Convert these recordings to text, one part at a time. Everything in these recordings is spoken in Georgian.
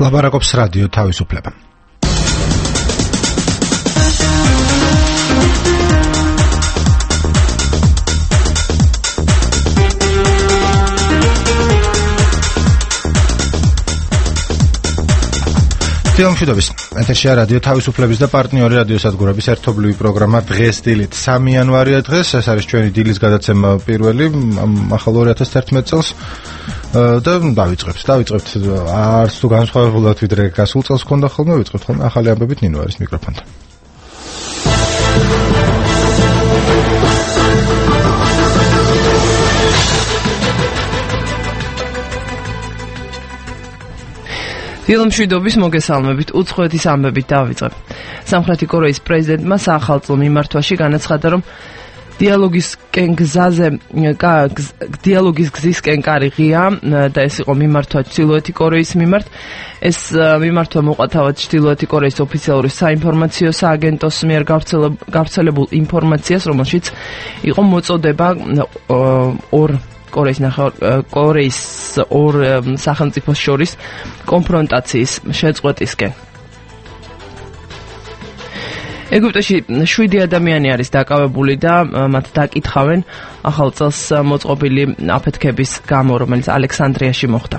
ლაბარაკობს რადიო თავისუფლება. ფილმშვიდობის ეთერშია რადიო თავისუფლების და პარტნიორი რადიოსადგურების ერთობლივი პროგრამა დღეს დილით 3 იანვარია დღეს ეს არის ჩვენი დილის გადაცემა პირველი ახალ 2011 წელს და დავიწყებთ არც თუ განსხვავებულად ვიდრე გასულ წელს ქონდა ხოლმე ვიწყებთ ხოლმე ახალი ამბებით ნინო არის მიკროფონთან. ფილმშვიდობის მოგესალმებით უცხოეთის ამბებით დავიწყებ. სამხრეთი კორეის პრეზიდენტმა საახალწლო მიმართვაში განაცხადა, რომ დიალოგის გზისკენ კარი ღია და ეს იყო მიმართვა ჩრდილოეთი კორეის მიმართ. ეს მიმართვა მოყვა თავად ჩრდილოეთი კორეის ოფიციალური საინფორმაციო სააგენტოს მიერ გავრცელებულ ინფორმაციას, რომელშიც იყო მოწოდება კორეის ორ სახელმწიფოს შორის კონფრონტაციის შეწყვეტისკენ. ეგვიპტეში 7 ადამიანი არის დაკავებული და მათ დაკითხავენ ახალ წელს მოწყობილი აფეთქების გამო, რომელიც ალექსანდრიაში მოხდა.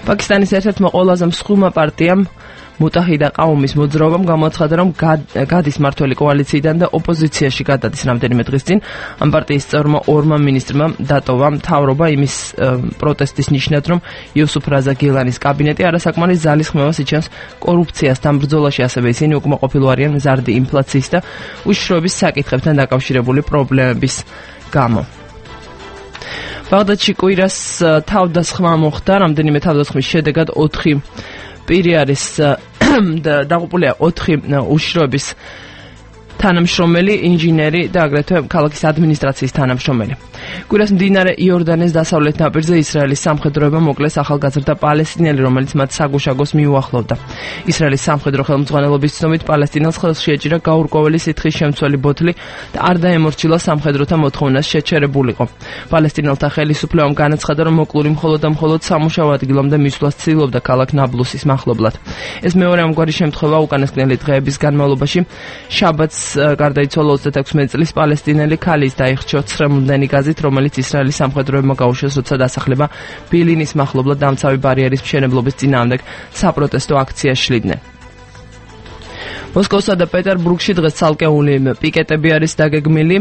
პაკისტანის ერთ-ერთმა ყველაზე მსხვილმა პარტიამ მუტაჰიდა ყაუმის მოძრაობამ გამოაცხადა, რომ გადის მართველი კოალიციიდან და ოპოზიციაში გადადის რამდენიმე დღის წინ. ამ პარტიის წევრმა ორმა მინისტრმა დატოვა მთავრობა იმის პროტესტის ნიშნად, რომ იუსუფ რაზა გილანის კაბინეტი არასაკმარის ძალისხმევას იჩენს კორუფციასთან ბრძოლაში, ასევე ისინი უკმაყოფილო არიან მზარდი ინფლაციის და უშიშროების საკითხებთან დაკავშირებული პრობლემების გამო. ბაღდადში კვირას თავდასხმა მოხდა, რამდენიმე თავდასხმის შედეგად 4 პირი არის დაღუპულია 4 უშიშროების თანამშრომელი, ინჟინერი და აგრეთვე ქალაქის ადმინისტრაციის თანამშრომელი. კვირას მდინარე იორდანეს დასავლეთ ნაპირზე ისრაელის სამხედროებმა მოკლეს ახალგაზრდა პალესტინელი, რომელიც მათ საგუშაგოს მიუახლოვდა. ისრაელის სამხედრო ხელმძღვანელობის ცნობით პალესტინელს ხელში ეჭირა გაურკვეველი სითხის შემცველი ბოთლი და არ დაემორჩილა სამხედროთა მოთხოვნას შეჩერებულიყო. პალესტინელთა ხელისუფლებამ განაცხადა, რომ მოკლული მხოლოდ სამუშაო ადგილამდე მისვლას ცდილობდა ქალაქ ნაბლუსის მახლობლად. ეს მეორე ამგვარი შემთხვევა უკანასკნელი დღეების განმავლობაში. შაბათს გარდაიცვალა 36 წლის პალესტინელი ქალის დაიხჩო ცრემლდენი გაზით, რომელიც ისრაელის სამხედროებმა გაუშვეს, როცა დასახლება ბილინის მახლობლად დამცავი ბარიერის მშენებლობის წინააღმდეგ საპროტესტო აქციას შლიდნენ. მოსკოვსა და პეტერბურგში დღეს ცალკეული პიკეტები არის დაგეგმილი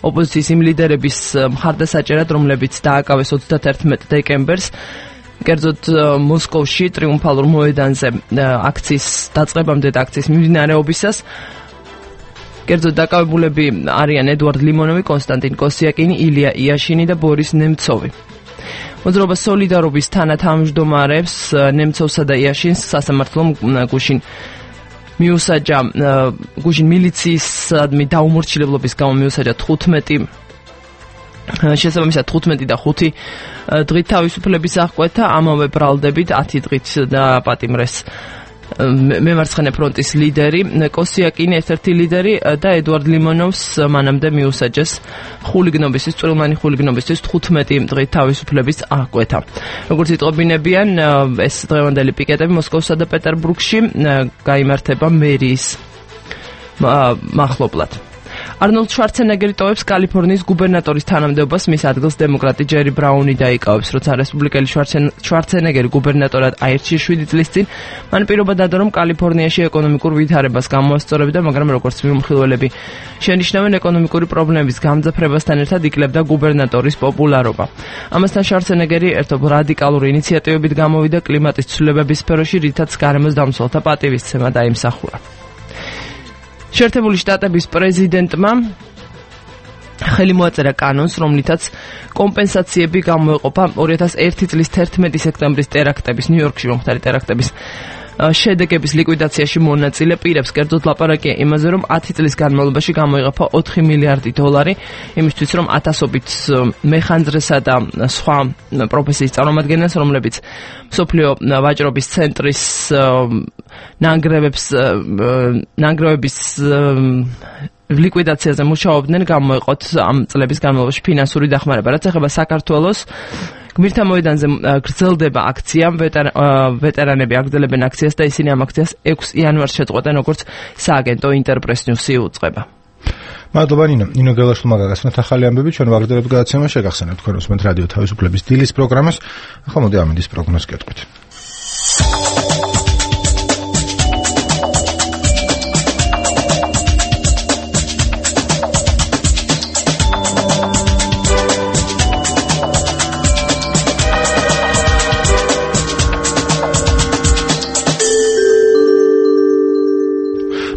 ოპოზიციის იმ ლიდერების მხარდასაჭერად, რომლებიც დააკავეს 31 დეკემბერს. კერძოდ მოსკოვში ტრიუმფალურ მოედანზე აქციის დაწყებამდე და აქციის მიმდინარეობისას კერძოდ დაკავებულები არიან ედვარდ ლიმონოვი, კონსტანტინ კოსიაკინი, ილია იაშინი და ბორის ნემცოვი. მოძრაობა სოლიდარობის თანათავმჯდომარებს ნემცოვსა და იაშინს სასამართლომ გუშინ მილიციისადმი დაუმორჩილებლობის გამო მიუსაჯა 15 შესაბამისად 15 და 5 დღით თავისუფლების აღკვეთა, ამავე ბრალდებით 10 დღით დაპატიმრეს მემარცხენე ფრონტის ლიდერი კოსიაკინი, ერთ-ერთი ლიდერი და ედვარდ ლიმონოვს მანამდე მიუსაჯეს წვრილმანი ხულიგნობისთვის 15 დღით თავისუფლების აღკვეთა. როგორც იტყობინებიან, ეს დღევანდელი პიკეტები მოსკოვსა და პეტერბურგში გაიმართება მერიის მახლობლად. არნოლდ შვარცენეგერი ტოვებს კალიფორნიის გუბერნატორის თანამდებობას, მის ადგილს დემოკრატი ჯერი ბრაუნი დაიკავებს. როცა რესპუბლიკელი შვარცენეგერი გუბერნატორად აირჩიეს 7 წლის წინ, მან პირობა დადო, რომ კალიფორნიაში ეკონომიკურ ვითარებას გამოასწორებდა, მაგრამ როგორც მიმხილველები შენიშნავენ, ეკონომიკური პრობლემების გამძაფრებასთან ერთად იკლებდა გუბერნატორის პოპულარობა. ამასთან შვარცენეგერი ერთობ რადიკალური ინიციატივებით გამოვიდა კლიმატის ცვლილებების სფეროში, რითაც გარემოს დამცველთა პატივისცემა დაიმსახურა. შეერთებული შტატების პრეზიდენტმა ხელი მოაწერა კანონს, რომლითაც კომპენსაციები გამოეყოფა 2001 წლის 11 სექტემბრის ტერაქტების, ნიუ-იორკში მომხდარი ტერაქტების შედეგების ლიკვიდაციაში მონაწილე პირებს. კერძოდ ლაპარაკია იმაზე, რომ 10 წლის განმავლობაში გამოიღება 4 მილიარდი დოლარი იმისთვის, რომ ათასობით მეხანძრესა და სხვა პროფესიის წარმომადგენელს, რომლებიც მსოფლიო ვაჭრობის ცენტრის ნანგრევების ლიკვიდაციაზე მუშაობდნენ, გამოიყოთ ამ წლების განმავლობაში ფინანსური დახმარება. რაც ეხება საქართველოს, გმირთა მოედანზე გრძელდება აქცია, ვეტერანები აგრძელებენ აქციას და ისინი ამ აქციას 6 იანვარს შეწყვეტენ, როგორც სააგენტო ინტერპრეს ნიუსი უწყება. მადლობა ნინო გელაშვილმა გაგაცნოთ ახალი ამბები, ჩვენ ვაგრძელებთ გადაცემა, შეგახსენებთ თქვენ უსმენთ რადიო თავისუფლების დილის პროგრამას. ახლა მოდი ამინდის პროგნოზს გეტყვით.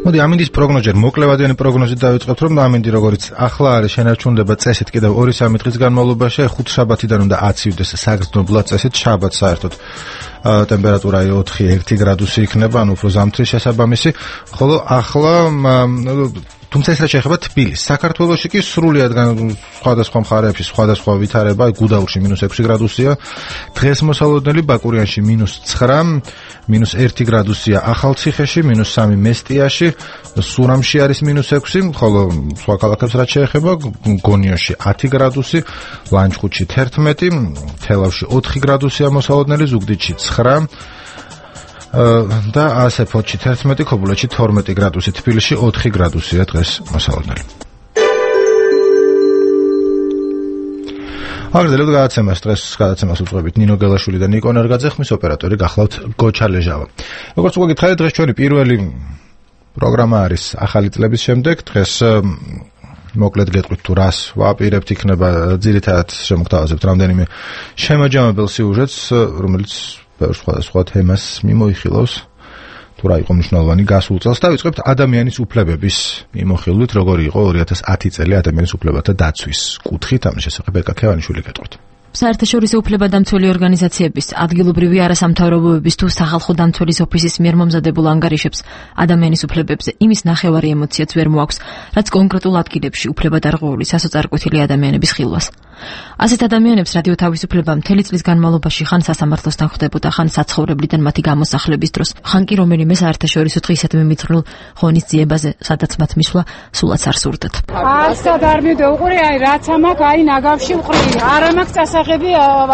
მოდი ამინდის პროგნოზი მოკლევადიანი პროგნოზით დავიწყებთ, რომ ამინდი როგორც ახლა არის შენარჩუნდება წესით კიდევ 2-3 დღის განმავლობაში, 5 შაბათიდან უნდა აცივდეს საგრძნობლად წესით, შაბათს საერთოდ ტემპერატურა 4-1 გრადუსი იქნება, ანუ უფრო ზამთრის შესაბამისი, ხოლო ახლა თუმცა ეს რაც შეეხება თბილისს, საქართველოში კი სრულიად სხვადასხვა მხარეებში სხვადასხვა ვითარება, გუდაურში -6 გრადუსია, დღეს მოსალოდნელი ბაკურიანში -9, -1 გრადუსია ახალციხეში, -3 მესტიაში, სურამში არის -6, ხოლო სხვა ქალაქებს რაც შეეხება, გონიოში 10 გრადუსი, ლანჩხუთში 11, თელავში 4 გრადუსია მოსალოდნელი, ზუგდიდში 9 და ასე ფოთში 11, ქობულეთში 12 გრადუსი, თბილისში 4 გრადუსია დღეს მოსალოდნელი. აგრძელებთ გადაცემას, დღეს გადაცემას უძღვებით ნინო გელაშვილი და ნიკო ნერგაძე, ხმის ოპერატორი გახლავთ გოჩა ლეჟავა. როგორც უკვე გითხარით, დღეს ჩვენი პირველი პროგრამა არის ახალი წლების შემდეგ. დღეს მოკლედ გეტყვით თუ რას ვაპირებთ, იქნება ძირითადად შემოგთავაზებთ რამდენიმე შემაჯამებელ სიუჟეტს, რომელიც სხვადასხვა თემას მიმოიხილავს, თუ რა იყო მნიშვნელოვანი გასულ წელს. დავიწყებთ ადამიანის უფლებების მიმოხილვით, როგორი იყო 2010 წელი ადამიანის უფლებათა დაცვის კუთხით, ამის შესახებ ეკა ქევანიშვილი გეტყვით. საერთაშორისო უფლებადამცველი ორგანიზაციების, ადგილობრივი არასამთავრობოების თუ სახალხო დამცველის ოფისის მიერ მომზადებულ ანგარიშებს ადამიანის უფლებებზე იმის ნახევარი ემოციაც ვერ მოაქვს, რაც კონკრეტულ ადგილებში უფლებადარღვეული სასოწარკვეთილი ადამიანების ხილვას. ასეთ ადამიანებს რადიო თავისუფლება მთელი წლის განმავლობაში ხან სასამართლოსთან ხვდებოდა, ხან საცხოვრებლიდან მათი გამოსახლების დროს, ხან კი რომელიმე საერთაშორისო დღისადმი მიძღვნილ ღონისძიებაზე, სადაც მათ მისვლა სულაც არ სურდათ. ასად არ მივდეუყური, რაც ამაკ ნაგავში ვყრი, არ ამაკ წასაღები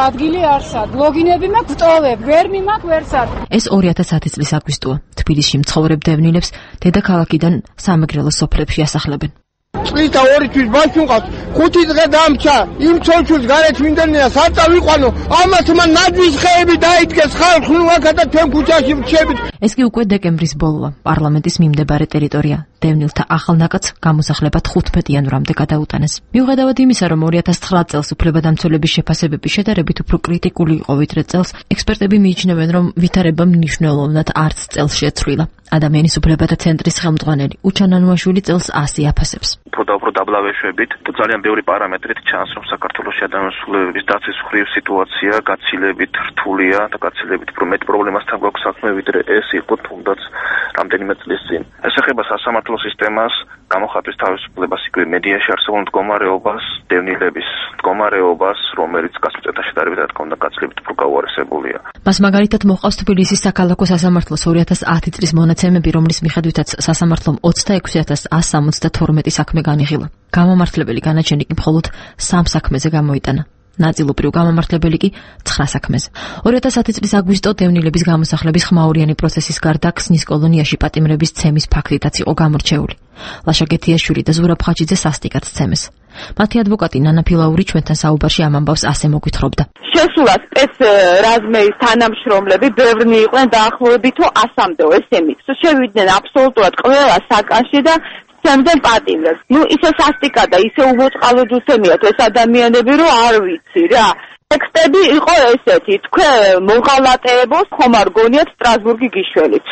ადგილი არსად, ლოგინები მაქვს ვტოვებ, ვერ მიმაკ ვერსად. ეს 2010 წლის აგვისტოა. თბილისში მცხოვრებ დევნილებს დედაქალაქიდან სამეგრელოს სოფლებში ასახლებენ. წლის და 2 თვის ბავშვი მყავს, 5 დღე დამჭა, იმ ცოლჩულს გარეთ მინდენია, საწა ვიყვანო, ამას მან ნაძვის ხეები დაიდგეს, ხალხს ნუაქა და თქვენ ქუჩაში ვრჩებით. ეს კი უკვე დეკემბრის ბოლოა. პარლამენტის მიმდებარე ტერიტორია. დევნილთა ახალ ნაკადს გამოსახლებად 15 იანვრამდე გადაუტანეს. მიუხედავად იმისა, რომ 2009 წელს უფლებადამცველების შეფასებები შედარებით უფრო კრიტიკული იყო ვიდრე წელს, ექსპერტები მიიჩნევენ, რომ ვითარება მნიშვნელოვნად არც წელს შეცვლილა. ადამიანის უფლებათა ცენტრის ხელმძღვანელი უჩანანუაშვილი წელს 100 აფასებს. უფრო დაბლავეშვებით, ძალიან ბევრი პარამეტრით ჩანს, რომ საქართველოში ადამიანის უფლებების დაცვის მხრივ სიტუაცია გაცილებით რთულია და გაცილებით უფრო მეტ პრობლემასთან გვაქვს საქმე, ვიდრე ეს იყო თუნდაც რამდენიმე წლის წინ. ეს ეხება სასამართლო სისტემას, გამოხატვის თავისუფლებას, იქვე მედიაში არსებულ მდგომარეობას, დევნილების მდგომარეობას, რომელიც გასულ წელთან შედარებით რა თქმა უნდა გაცილებით უფრო გაუარესებულია. მას მაგალითად მოყავს თბილისის საქალაქო სასამართლოს 2010 წლის მონაცემები, რომლის მიხედვითაც სასამართლომ 26172 საქმე განიხილა. გამომართლებელი განაჩენი კი მხოლოდ 3 საქმეზე გამოიტანა. ნაწილობრივ გამომართლებელი კი 9 საქმეზე. 2010 წლის აგვისტო დევნილების გამოსახლების ხმაურიანი პროცესის გარდა ქსნის კოლონიაში პატიმრების ცემის ფაქტითაც იყო გამორჩეული. ლაშა გეთიაშვილი და ზურაბ ხაჩიძე სასტიკად ცემეს. მათი ადვოკატი ნანა ფილაური ჩვენთან საუბარში ამ ამბავს ასე მოგვითხრობდა. შესულა სპეცრაზმეის თანამშრომლები ბევრნი იყვნენ დაახლოებით 100-მდე ესენი. შევიდნენ აბსოლუტურად ყველა საკანში და სცემდნენ პატიმრებს. ისე სასტიკა და ისე უმოწყალოდ უსემიათ ეს ადამიანები, რომ არ ვიცი რა. ტექსტები იყო ესეთი, თქვენ მოღალატეებოს ხომ არ გონიათ სტრასბურგი გიშველით.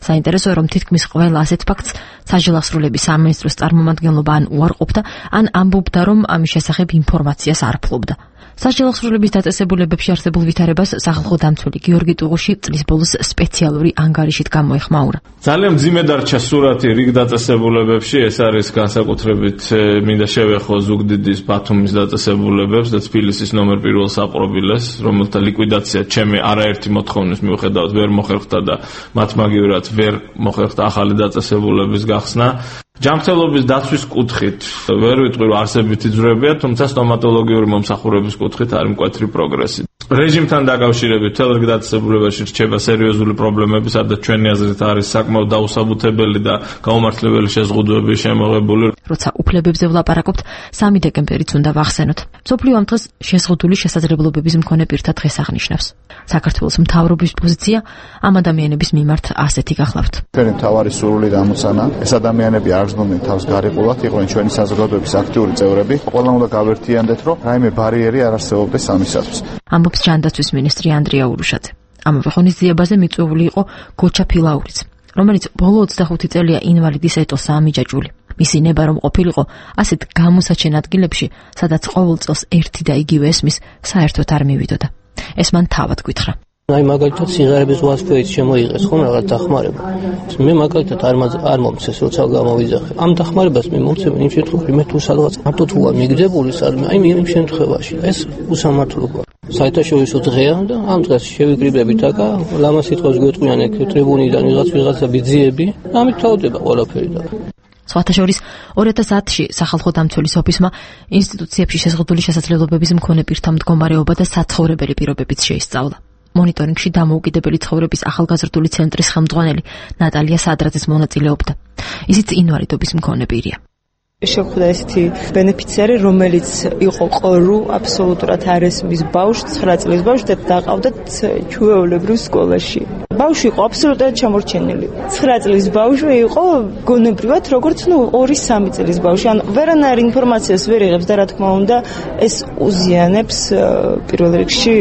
საინტერესოა, რომ თითქმის ყველა ასეთ ფაქტს საჯელახსრულების სამინისტროს წარმომადგენლობა ან უარყოფდა, ან ამბობდა, რომ ამის შესახებ ინფორმაციას არ ფლობდა. სასჯელახსრულების დაწესებულებებში არსებულ ვითარებას სახალხო დამცველი გიორგი ტუღუში წლის ბოლოს სპეციალური ანგარიშით გამოეხმაურა. ძალიან მძიმე დარჩა სურათი რიგ დაწესებულებებში, ეს არის განსაკუთრებით მინდა შევეხო ზუგდიდის, ბათუმის დაწესებულებებს და თბილისის ნომერ პირველ საპრობილეს, რომელთა ლიკვიდაცია ჩემი არაერთი მოთხოვნის მიუხედავად ვერ მოხერხდა და მათ მაგივრად ვერ მოხერხდა ახალი დაწესებულების გახსნა. ჯანმრთელობის დაცვის კუთხით ვერ ვიტყვი რომ არსებითი ძვრებია, თუმცა სტომატოლოგიური მომსახურების კუთხით არის მკვეთრი პროგრესი. რეჟიმთან დაკავშირებით მთელ რიგ დაწესებულებაში რჩება სერიოზული პრობლემები, სადაც ჩვენი აზრით არის საკმაოდ დაუსაბუთებელი და გაუმართლებელი შეზღუდვები შემოღებული. როცა უფლებებზე ვლაპარაკობთ, 3 დეკემბერიც უნდა ვახსენოთ. მსოფლიო ამ დღეს შეზღუდული შესაძლებლობების მქონე პირთა დღეს აღნიშნავს. საქართველოს მთავრობის პოზიცია ამ ადამიანების მიმართ ასეთი გახლავთ. ჩვენი მთავარი სურვილი და ამოცანა, ეს ადამიანები არ გრძნობდნენ თავს გარიყულად, იყვნენ ჩვენი საზოგადოების აქტიური წევრები. ყველა უნდა გავერთიანდეთ, რომ რაიმე ბარიერი არ არსებობდეს ამისათვის. ამბობს ჯანდაცვის მინისტრი ანდრია ურუშაძე. ამავე ღონისძიებაზე მიწვეული იყო გოჩა ფილაურიც, რომელიც ბოლო 25 წელია ინვალიდის ეტოსაა მიჯაჭვული. მისი ნება რომ ყოფილიყო ასეთ გამოსაჩენ ადგილებში, სადაც ყოველ წელს ერთი და იგივე ესმის, საერთოდ არ მივიდოდა. ეს მან თავად გითხრა. აი მაგალითად სიღარიბის ვასფერით შემოიღეს ხომ რაღაც დახმარება. მე მაგალითად არ მომწეს როცა გამოვიძახე. ამ დახმარებას მე მომწევ იმ შემთხვევაში მე თუ სადღაც მარტო თუ არ მიგძებული სადმე აი იმ შემთხვევაში ეს უსამართლოა. საერთაშორისო დღეა და ამ დღეს შევიკრიბებით აკა ლამა სიტყვას გვეტყვიან ეგ ტრიბუნიდან ვიღაცა ბიძიები, ამით თავდება ყველაფერი და სხვათა შორის 2010-ში სახალხო დამცველის ოფისმა ინსტიტუციებში შეზღუდული შესაძლებლობების მქონე პირთა მდგომარეობა და საცხოვრებელი პირობებიც შეისწავლა. მონიტორინგში დამოუკიდებელი ცხოვრების ახალგაზრდული ცენტრის ხელმძღვანელი ნატალია სადრაძეს მონაწილეობდა. ისიც ინვალიდობის მქონე პირია. შეხვდა ესეთი ბენეფიციარი, რომელიც იყო ყორუ აბსოლუტურად არესმის ბავშვი, 9 წლის ბავშვი და დაყავდათ ჩვეულებრივ სკოლაში. ბავშვი იყო აბსოლუტურად ჩამორჩენილი. 9 წლის ბავშვი იყო გონებრივად როგორც 2-3 წლის ბავშვი. ან ვერანაირ ინფორმაციას ვერ იღებს და რა თქმა უნდა ეს უზიანებს პირველ რიგში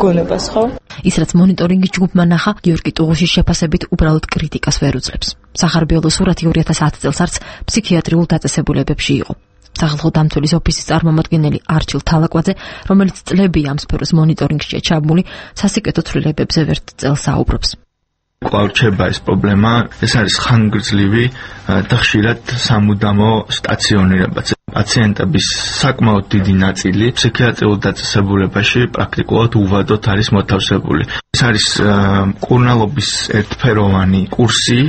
გონებას, ხო? ის რაც მონიტორინგის ჯგუფმა ნახა, გიორგი ტუღუშის შეფასებით უბრალოდ კრიტიკას ვერ უძლებს. სახარბიელო სურათი 2010 წელს არც ფსიქიატრიულ დაწესებულებებში იყო. სახალხო დამცველის ოფისის წარმომადგენელი არჩილ თალაკვაძე, რომელიც წლებია ამ სფეროს მონიტორინგშია ჩაბმული, სასიკეთო ცვლილებებზე ვერთ წელს საუბრობს. კვლავ რჩება ეს პრობლემა, ეს არის ხანგრძლივი და ხშირად სამუდამო სტაციონირებაც. პაციენტების საკმაოდ დიდი ნაწილი ფსიქიატრიულ დაწესებულებაში პრაქტიკულად უვადოდ არის მოთავსებული. ეს არის მკურნალობის ერთფეროვანი კურსი,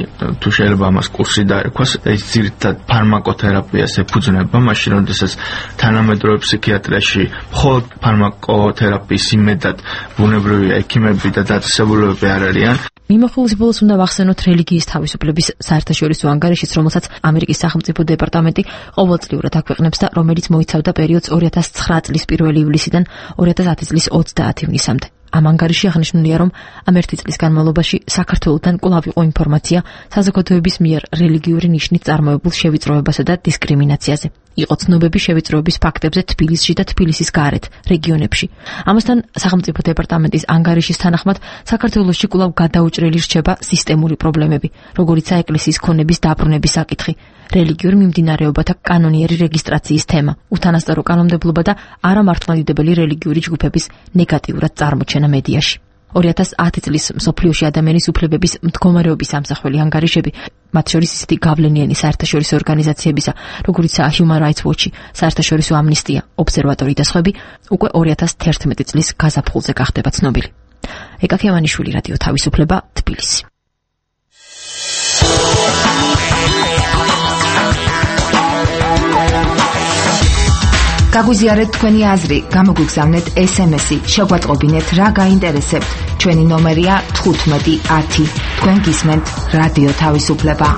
თუ შეიძლება ამას კურსი დაერქვას, ეს ძირითადად ფარმაკოთერაპიას ეფუძნება, მაშინ როდესაც თანამედროვე ფსიქიატრიაში მხოლოდ ფარმაკოთერაპიის იმედად ბუნებრივი ექიმები და დაწესებულებები არ არიან. მიმოხილვის ბოლოს უნდა ვახსენოთ რელიგიის თავისუფლების საერთაშორისო ანგარიშიც, რომელსაც ამერიკის სახელმწიფო დეპარტამენტი ყოველწლიურად აქვეყნებს და რომელიც მოიცავდა პერიოდს 2009 წლის 1 ივლისიდან 2010 წლის 30 ივნისამდე. ამ ანგარიში აღნიშნულია, რომ ამ ერთი წლის განმავლობაში საქართველოსთან კვლავ იყო ინფორმაცია საზოგადოების მიერ რელიგიური ნიშნით წარმოებულ შევიწროებასა და დისკრიმინაციაზე. იყო ცნობები შევიწროების ფაქტებზე თბილისში და თბილისის გარეთ, რეგიონებში. ამასთან სახელმწიფო დეპარტამენტის ანგარიშის თანახმად საქართველოში კვლავ გადაუჭრელი რჩება სისტემური პრობლემები, როგორიცაა ეკლესიის ქონების დაბრუნების საკითხი, რელიგიურ მიმდინარეობათა კანონიერი რეგისტრაციის თემა, უთანასწორო კანონმდებლობა და არამართლმადიდებელი რელიგიური ჯგუფების ნეგატიურად წარმოჩენა მედიაში. 2010 წლის მსოფლიოში ადამიანის უფლებების მდგომარეობის ამსახველი ანგარიშები, მათ შორის ისეთი გავლენიანი საერთაშორისო ორგანიზაციებისა, როგორიცაა Human Rights Watch, საერთაშორისო ამნისტია, ობსერვატორი და სხვები, უკვე 2011 წლის გაზაფხულზე გახდება ცნობილი. ეკა ქევანიშვილი, რადიო თავისუფლება, თბილისი. გაგვიზიარეთ თქვენი აზრი, გამოგვიგზავნეთ SMS-ი, შეგვატყობინეთ რა გაინტერესებთ. ჩვენი ნომერია 1510. თქვენ გისმენთ რადიო თავისუფლება.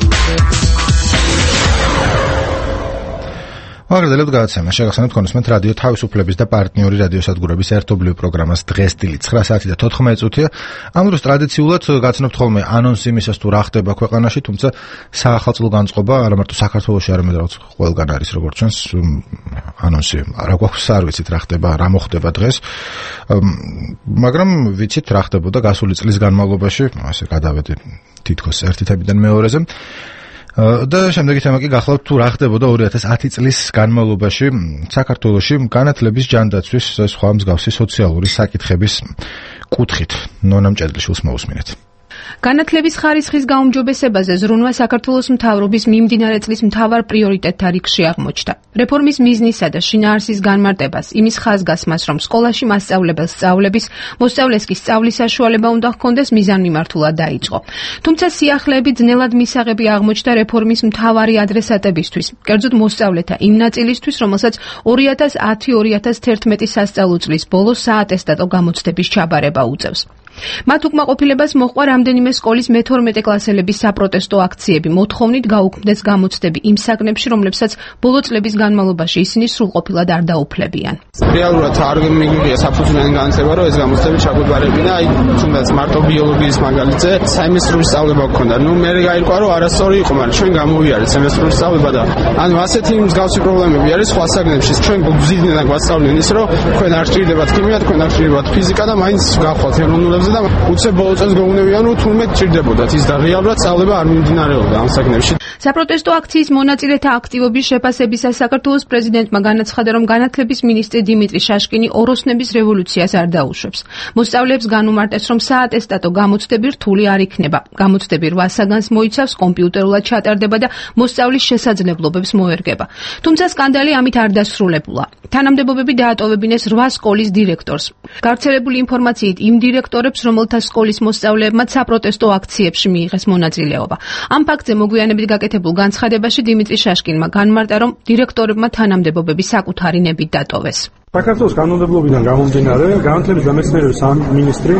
აღარდელებ გადაცემა შეგახსენებთ კონსმენტ რადიო თავისუფლების და პარტნიორი რადიოსადგურების ერთობლივ პროგრამას დღეს დილით 9 საათი და 14 წუთია. ამ დროს ტრადიციულად გაცნობთ ხოლმე ანონსი იმისას თუ რა ხდება ქვეყანაში, თუმცა საახალწლო განწყობა არა მარტო საქართველოში, არამედ რაღაც ყველგან არის, როგორც ჩვენს ანონსი. რა გვაქვს არ ვიცით რა ხდება, რა მოხდება დღეს. მაგრამ ვიცით რა ხდებოდა გასული წლის განმავლობაში, ასე გადავედი თითქოს ერთი თებიდან მეორეზე. და შემდეგი თემა კი გახლავთ თუ რა ხდებოდა 2010 წლის განმავლობაში საქართველოში განათლების ჯანდაცვის სხვა მსგავსი სოციალური საკითხების კუთხით. ნონა მჭედლიშვილს მოусმინეთ. განათლების ხარისხის გაუმჯობესებაზე ზრუნვა საქართველოს მთავრობის მიმდინარე წლის მთავარ პრიორიტეტთა რიგში აღმოჩნდა. რეფორმის მიზნისა და შინაარსის განმარტებას, იმის ხაზგასმას, რომ სკოლაში მასწავლებელს სწავლების, მოსწავლეს კი სწავლის საშუალება უნდა ჰქონდეს მიზანმიმართულად დაიწყო. თუმცა სიახლეები ძნელად მისაღები აღმოჩნდა რეფორმის მთავარი ადრესატებისთვის, კერძოდ მოსწავლეთა იმ ნაწილისთვის, რომელსაც 2010-2011 სასწავლო წლის ბოლოს საატესტატო გამოცდების ჩაბარება უწევს. მათ უკმაყოფილებას მოჰყვა რამდენიმე სკოლის მე-12 კლასელების საპროტესტო აქციები, მოთხოვნით გაუქმდეს გამოცდები იმ საგნებში, რომლებსაც ბოლო წლების განმავლობაში ისინი სრულყოფილად არ დაუფლებიან. რეალურად არ მიგვიღია საფუძვლიანი განათლება, რომ ეს გამოცდები ჩაგვეგვარებინა, თუნდაც მარტო ბიოლოგიის მაგალითზე საიმესტრული სწავლება გქონდა. მე გაირკვა, რომ არასწორი იყო, მაგრამ ჩვენ გამოვიარეთ სემესტრული სწავლება და ასეთი მსგავსი პრობლემები არის სხვა საგნებში. ჩვენ გვზრდიდან გვასწავლენ ის, რომ თქვენ არ სჭირდებათ ქიმია, თქვენ არ სჭირდებათ ფიზიკა და მაინც გავხვალთ ეროვნულებზე და უცებ ბოლო წელს გვეუბნებიან, რომ თურმე ჭირდებოდათ ის და რეალურად სწავლება არ მიმდინარეობდა ამ საგნებში. საპროტესტო აქციის მონაწილეთა აქტივობის შეფასებისას საქართველოს პრეზიდენტმა განაცხადა, რომ განათლების მინისტრი დიმიტრი შაშკინი ოროსნების რევოლუციას არ დაუშვებს. მოსწავლეებს განუმარტეს, რომ საატესტატო გამოცდები რთული არ იქნება. გამოცდები 8 საგანს მოიცავს, კომპიუტერულად ჩატარდება და მოსწავლის შესაძლებლობებს მოერგება. თუმცა სკანდალი ამით არ დასრულებულა. თანამდებობები დაატოვებინეს 8 სკოლის დირექტორს. გავრცელებული ინფორმაციით იმ დირექტორებს, რომელთა სკოლის მოსწავლეებმაც საპროტესტო აქციებში მიიღეს მონაწილეობა. ამ ფაქტზე მოგვიანებით გაკეთებულ განცხადებაში დიმიტრი შაშკინმა განმარტა, რომ დირექტორებმა თანამდებობები საკუთარი ნებით დატოვეს. საქართველოს კანონმდებლობიდან გამომდინარე, განათლების და მეცნიერების მინისტრი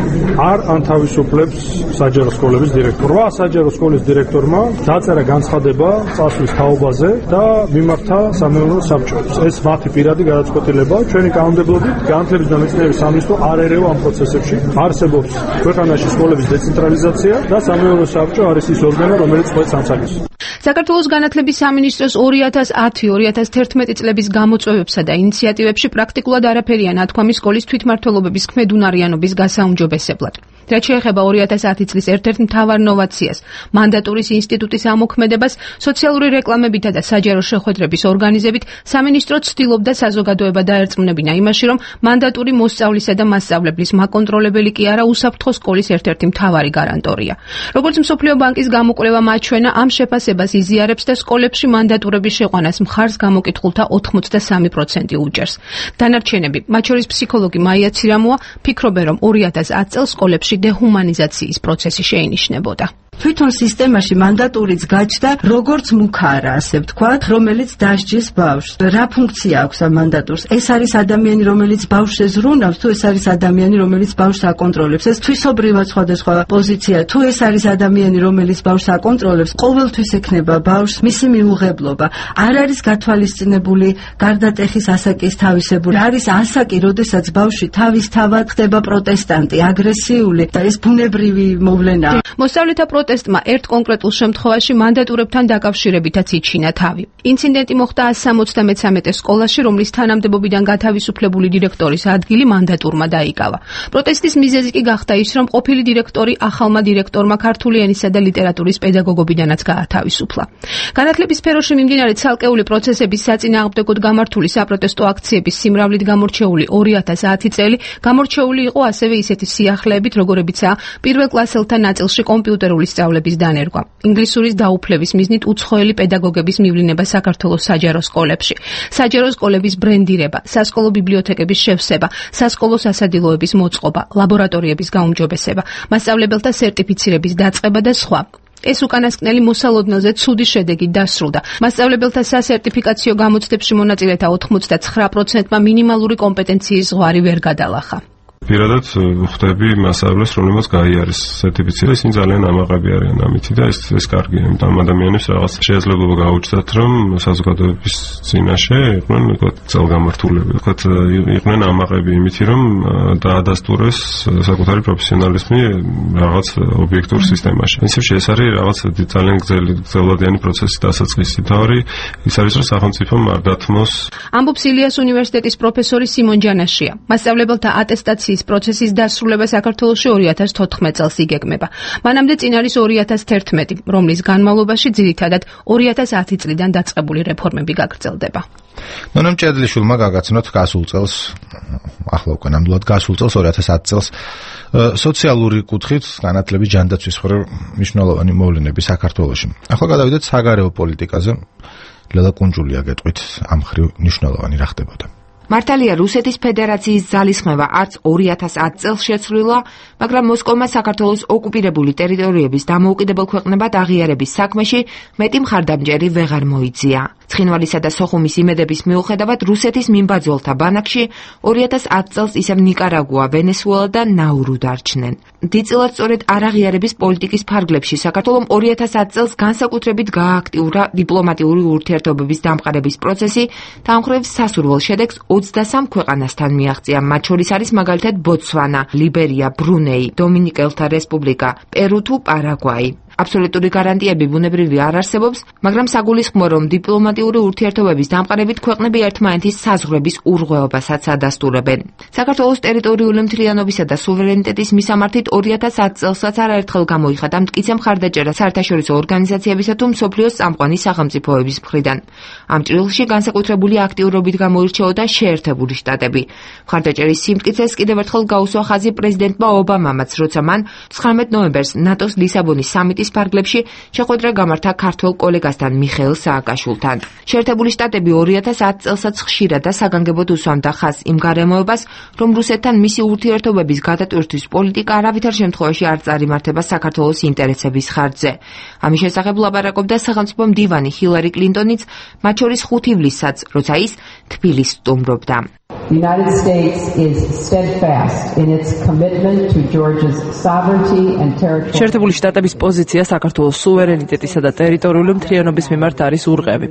არ ანთავისუფლებს საჯარო სკოლების დირექტორს. 8 საჯარო სკოლის დირექტორმა დაწერა განცხადება წასვლის თაობაზე და მიმართა სამეურნეო საბჭოს. ეს მათი პირადი გადაწყვეტილებაა. ჩვენი კანონმდებლობით განათლების და მეცნიერების სამინისტრო არ ერევა ამ პროცესებში. არსებობს ქვეყანაში სკოლების დეცენტრალიზაცია და სამეურნეო საბჭო არის ის ორგანო, რომელიც ყვეთს ამ საკითხს. საქართველოს განათლების სამინისტროს 2010-2011 წლების გამოწვევებსა და ინიციატივებში პრაქტიკულად არაფერია ნათქვამი სკოლის თვითმმართველობების ქმედუნარიანობის გასაუმჯობესებლად. რაც შეეხება 2010 წლის ერთ-ერთ მთავარ ნოვაციას, მანდატურის ინსტიტუტის ამოქმედებას, სოციალური რეკლამებითა და საჯარო შეხვედრების ორგანიზებით, სამინისტრო ცდილობდა საზოგადოება დაერწმუნებინა იმაში, რომ მანდატური მოსწავლისა და მასწავლებლის მაკონტროლებელი კი არა, უსაფრთხო სკოლის ერთ-ერთი მთავარი გარანტორია. როგორც მსოფლიო ბანკის გამოკვლევა მაჩვენა, ამ შეფასებას იზიარებს და სკოლებში მანდატურების შეყვანას მხარს გამოკითხულთა 83% უჭერს. დანარჩენები, მათ შორის ფსიქოლოგი მაია ცირამოა, ფიქრობენ, რომ 2010 წელს სკოლებში დეჰუმანიზაციის პროცესი შეინიშნებოდა. თვითონ სისტემაში მანდატურიც გაჩნდა როგორც მუქარა, ასე ვთქვათ, რომელიც დასჯის ბავშვს. რა ფუნქცია აქვს ამ მანდატურს? ეს არის ადამიანი, რომელიც ბავშვს ეზრუნავს, თუ ეს არის ადამიანი, რომელიც ბავშვს აკონტროლებს. ეს თვისობრივად სხვადასხვა პოზიცია. თუ ეს არის ადამიანი, რომელიც ბავშვს აკონტროლებს, ყოველთვის ექნება ბავშვს მისი მიუღებლობა. არ არის გათვალისწინებული გარდატეხის ასაკის თავისებული. არის ასაკი, როდესაც ბავშვი თავისთავად ხდება პროტესტანტი, აგრესიული და ეს ბუნებრივი მოვლენაა. მოსწავლეთა პროტესტმა ერთ კონკრეტულ შემთხვევაში მანდატურებთან დაკავშირებითაც იჩინა თავი. ინციდენტი მოხდა 173 სკოლაში, რომლის თანამდებობიდან გათავისუფლებული დირექტორის ადგილი მანდატურმა დაიკავა. პროტესტის მიზეზი კი გახდა ის, რომ ყოფილი დირექტორი ახალმა დირექტორმა ქართული ენისა და ლიტერატურის პედაგოგობიდანაც გაათავისუფლა. განათლების სფეროში მიმდინარე ცალკეული პროცესების საწინააღმდეგოდ გამართული საპროტესტო აქციების სიმრავლით გამორჩეული 2010 წელი გამორჩეული იყო ასევე ისეთი სიახლეებით, როგორებიცაა პირველ კლასელთა ნაწილში კომპიუტერული სწავლების დანერგვა, ინგლისურის დაუფლების მიზნით უცხოელი პედაგოგების მივლინება საქართველოს საჯარო სკოლებში, საჯარო სკოლების ბრენდირება, სასკოლო ბიბლიოთეკების შევსება, სასკოლო სასადილოების მოწყობა, ლაბორატორიების გაუმჯობესება, მასწავლებელთა სერტიფიცირების დაწყება და სხვა. ეს უკანასკნელი მოსალოდნელზე ცუდი შედეგით დასრულდა. მასწავლებელთა სასერტიფიკაციო გამოცდებში მონაწილეთა 99%-მა მინიმალური კომპეტენციის ზღვარი ვერ გადალახა. პირადად ხვდები მასწავლებლებს, რომლებმაც გაიარეს სერტიფიცირება, ისინი ძალიან ამაყები არიან ამითი და ეს კარგია, იმიტომ ამ ადამიანებს რაღაც შესაძლებლობა გაუჩნდათ, რომ საზოგადოების წინაშე იყვნენ, ვთქვათ, ძალგამართულები, ვთქვათ, იყვნენ ამაყები იმითი, რომ დაადასტურეს საკუთარი პროფესიონალიზმი რაღაც ობიექტურ სისტემაში. პრინციპში ეს არის რაღაც ძალიან გრძელვადიანი პროცესის დასაწყისი. თავი ის არის, რომ სახელმწიფომ არ დათმოს. ამბობს ილიას უნივერსიტეტის პროფესორი სიმონ ჯანაშია. მასწავლებელთა ატესტაციის ლისაბონის პროცესის დასრულება საქართველოში 2014 წელს იგეგმება. მანამდე წინ არის 2011, რომლის განმავლობაში ძირითადად 2010 წლიდან დაწყებული რეფორმები გაგრძელდება. ნონა მჭედლიშვილმა გაგაცნოთ გასულ წელს, ახლა უკვე ნამდვილად გასულ წელს 2010 წელს სოციალური კუთხით განათლების ჯანდაცვის მხრივ მნიშვნელოვანი მოვლენები საქართველოში. ახლა გადავიდეთ საგარეო პოლიტიკაზე. ლელა კუნჯულია გეტყვით ამ მხრივ მნიშვნელოვანი რა ხდებოდა. მართალია რუსეთის ფედერაციის ძალისხმევა არც 2010 წელს შეცვლილა, მაგრამ მოსკოვმა საქართველოს ოკუპირებული ტერიტორიების დამოუკიდებელ ქვეყნებად აღიარების საქმეში მეტი მხარდამჭერი ვეღარ მოიწია. ცხინვალისა და სოხუმის იმედების მიუხედავად რუსეთის მიმბაძველთა ბანაკში 2010 წელს ისევ ნიკარაგუა, ვენესუელა და ნაურუ დარჩნენ. დიდწილად სწორედ არაღიარების პოლიტიკის ფარგლებში საქართველომ 2010 წელს განსაკუთრებით გააქტიურა დიპლომატიური ურთიერთობების დამყარების პროცესი და ამ მხრივ სასურველ შედეგს 23 ქვეყანასთან მიაღწია, მათ შორის არის მაგალითად ბოტსვანა, ლიბერია, ბრუნეი, დომინიკელთა რესპუბლიკა, პერუ თუ პარაგვაი. აბსოლუტური გარანტიები ბუნებრივი არ არსებობს, მაგრამ საგულისხმოა, რომ დიპლომატიური ურთიერთობების დამყარებით ქვეყნები ერთმანეთის საზღვრების ურღვეობასაც ადასტურებენ. საქართველოს ტერიტორიული მთლიანობისა და სუვერენიტეტის მისამართით 2010 წელსაც არაერთხელ გამოიხადა მტკიცე მხარდაჭერა საერთაშორისო ორგანიზაციებისა თუ მსოფლიოს წამყვანი სახელმწიფოების მხრიდან. ამ ჭრილში განსაკუთრებული აქტიურობით გამოირჩეოდა შეერთებული შტატები. მხარდაჭერის სიმტკიცეს კიდევ ერთხელ გაუსვა ხაზი პრეზიდენტმა ობამამაც, როცა მან 19 ნოემბერს ნატოს ლისაბონის სამიტის ფარგლებში შეხვედრა გამართა ქართველ კოლეგასთან მიხეილ სააკაშვილთან. შეერთებული შტატები 2010 წელსაც ხშირად და საგანგებოდ უსვამდა ხაზს იმ გარემოებას, რომ რუსეთთან მისი ურთიერთობების გადატვირთვის პოლიტიკა არავითარ შემთხვევაში არ წარიმართება საქართველოს ინტერესების ხარჯზე. ამის შესახებ ლაპარაკობდა სახელმწიფო მდივანი ჰილარი კლინტონიც, მათ შორის 5 ივლისსაც, როცა ის თბილისს სტუმრობდა. The United States is steadfast in its commitment to Georgia's sovereignty and territory. შეერთებული შტატების პოზიცია საქართველოს სუვერენიტეტისა და ტერიტორიული მთლიანობის მიმართ არის ურღევი.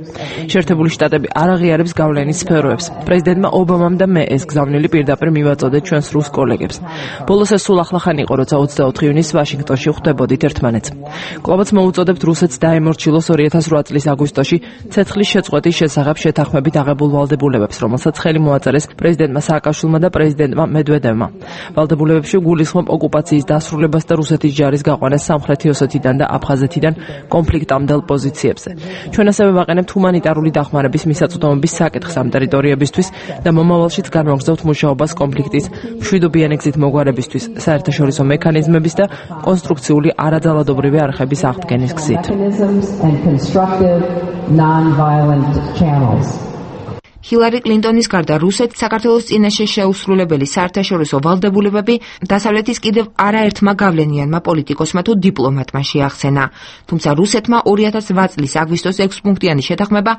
შეერთებული შტატები არ აღიარებს გავლენის სფეროებს. პრეზიდენტმა ობამამ და მე ეს გზავნილი პირდაპირ მივაწოდეთ ჩვენს რუს კოლეგებს. ბოლოს ეს სულ ახლახან იყო, როცა 24 ივნისს ვაშინგტონში ხვდებოდით ერთმანეთს. კვლავაც მოუწოდებთ რუსეთს დაემორჩილოს 2008 წლის აგვისტოში ცეცხლის შეწყვეტის შესახებ შეთანხმებით აღებულ ვალდებულებებს, რომელსაც ხელი მოაწერეს პრეზიდენტმა სააკაშვილმა და პრეზიდენტმა მედვედევმა. ვალდებულებებში გულისხმობ ოკუპაციის დასრულებას და რუსეთის ჯარის გაყვანას სამხრეთი ოსეთიდან და აფხაზეთიდან კონფლიქტამდელ პოზიციებზე. ჩვენ ასევე ვაყენებთ ჰუმანიტარული დახმარების მისაწვდომობის საკითხს ამ ტერიტორიებისთვის და მომავალშიც განვაგრძობთ მუშაობას კონფლიქტის მშვიდობიანი გზით მოგვარებისთვის, საერთაშორისო მექანიზმების და კონსტრუქციული არაძალადობრივი არხების აღდგენის გზით. ჰილარი კლინტონის გარდა რუსეთს საქართველოს წინაშე შეუსრულებელი საერთაშორისო ვალდებულებები დასავლეთის კიდევ არაერთმა გავლენიანმა პოლიტიკოსმა თუ დიპლომატმა შეახსენა. თუმცა რუსეთმა 2008 წლის აგვისტოს 6 პუნქტიანი შეთანხმება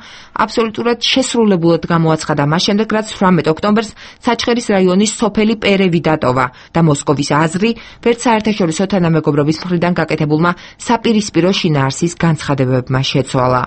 აბსოლუტურად შესრულებულად გამოაცხადა მას შემდეგ, რაც 18 ოქტომბერს საჩხერის რაიონის სოფელი პერევი დატოვა და მოსკოვის აზრი ვერც საერთაშორისო თანამეგობრობის მხრიდან გაკეთებულმა საპირისპირო შინაარსის განცხადებებმა შეცვალა.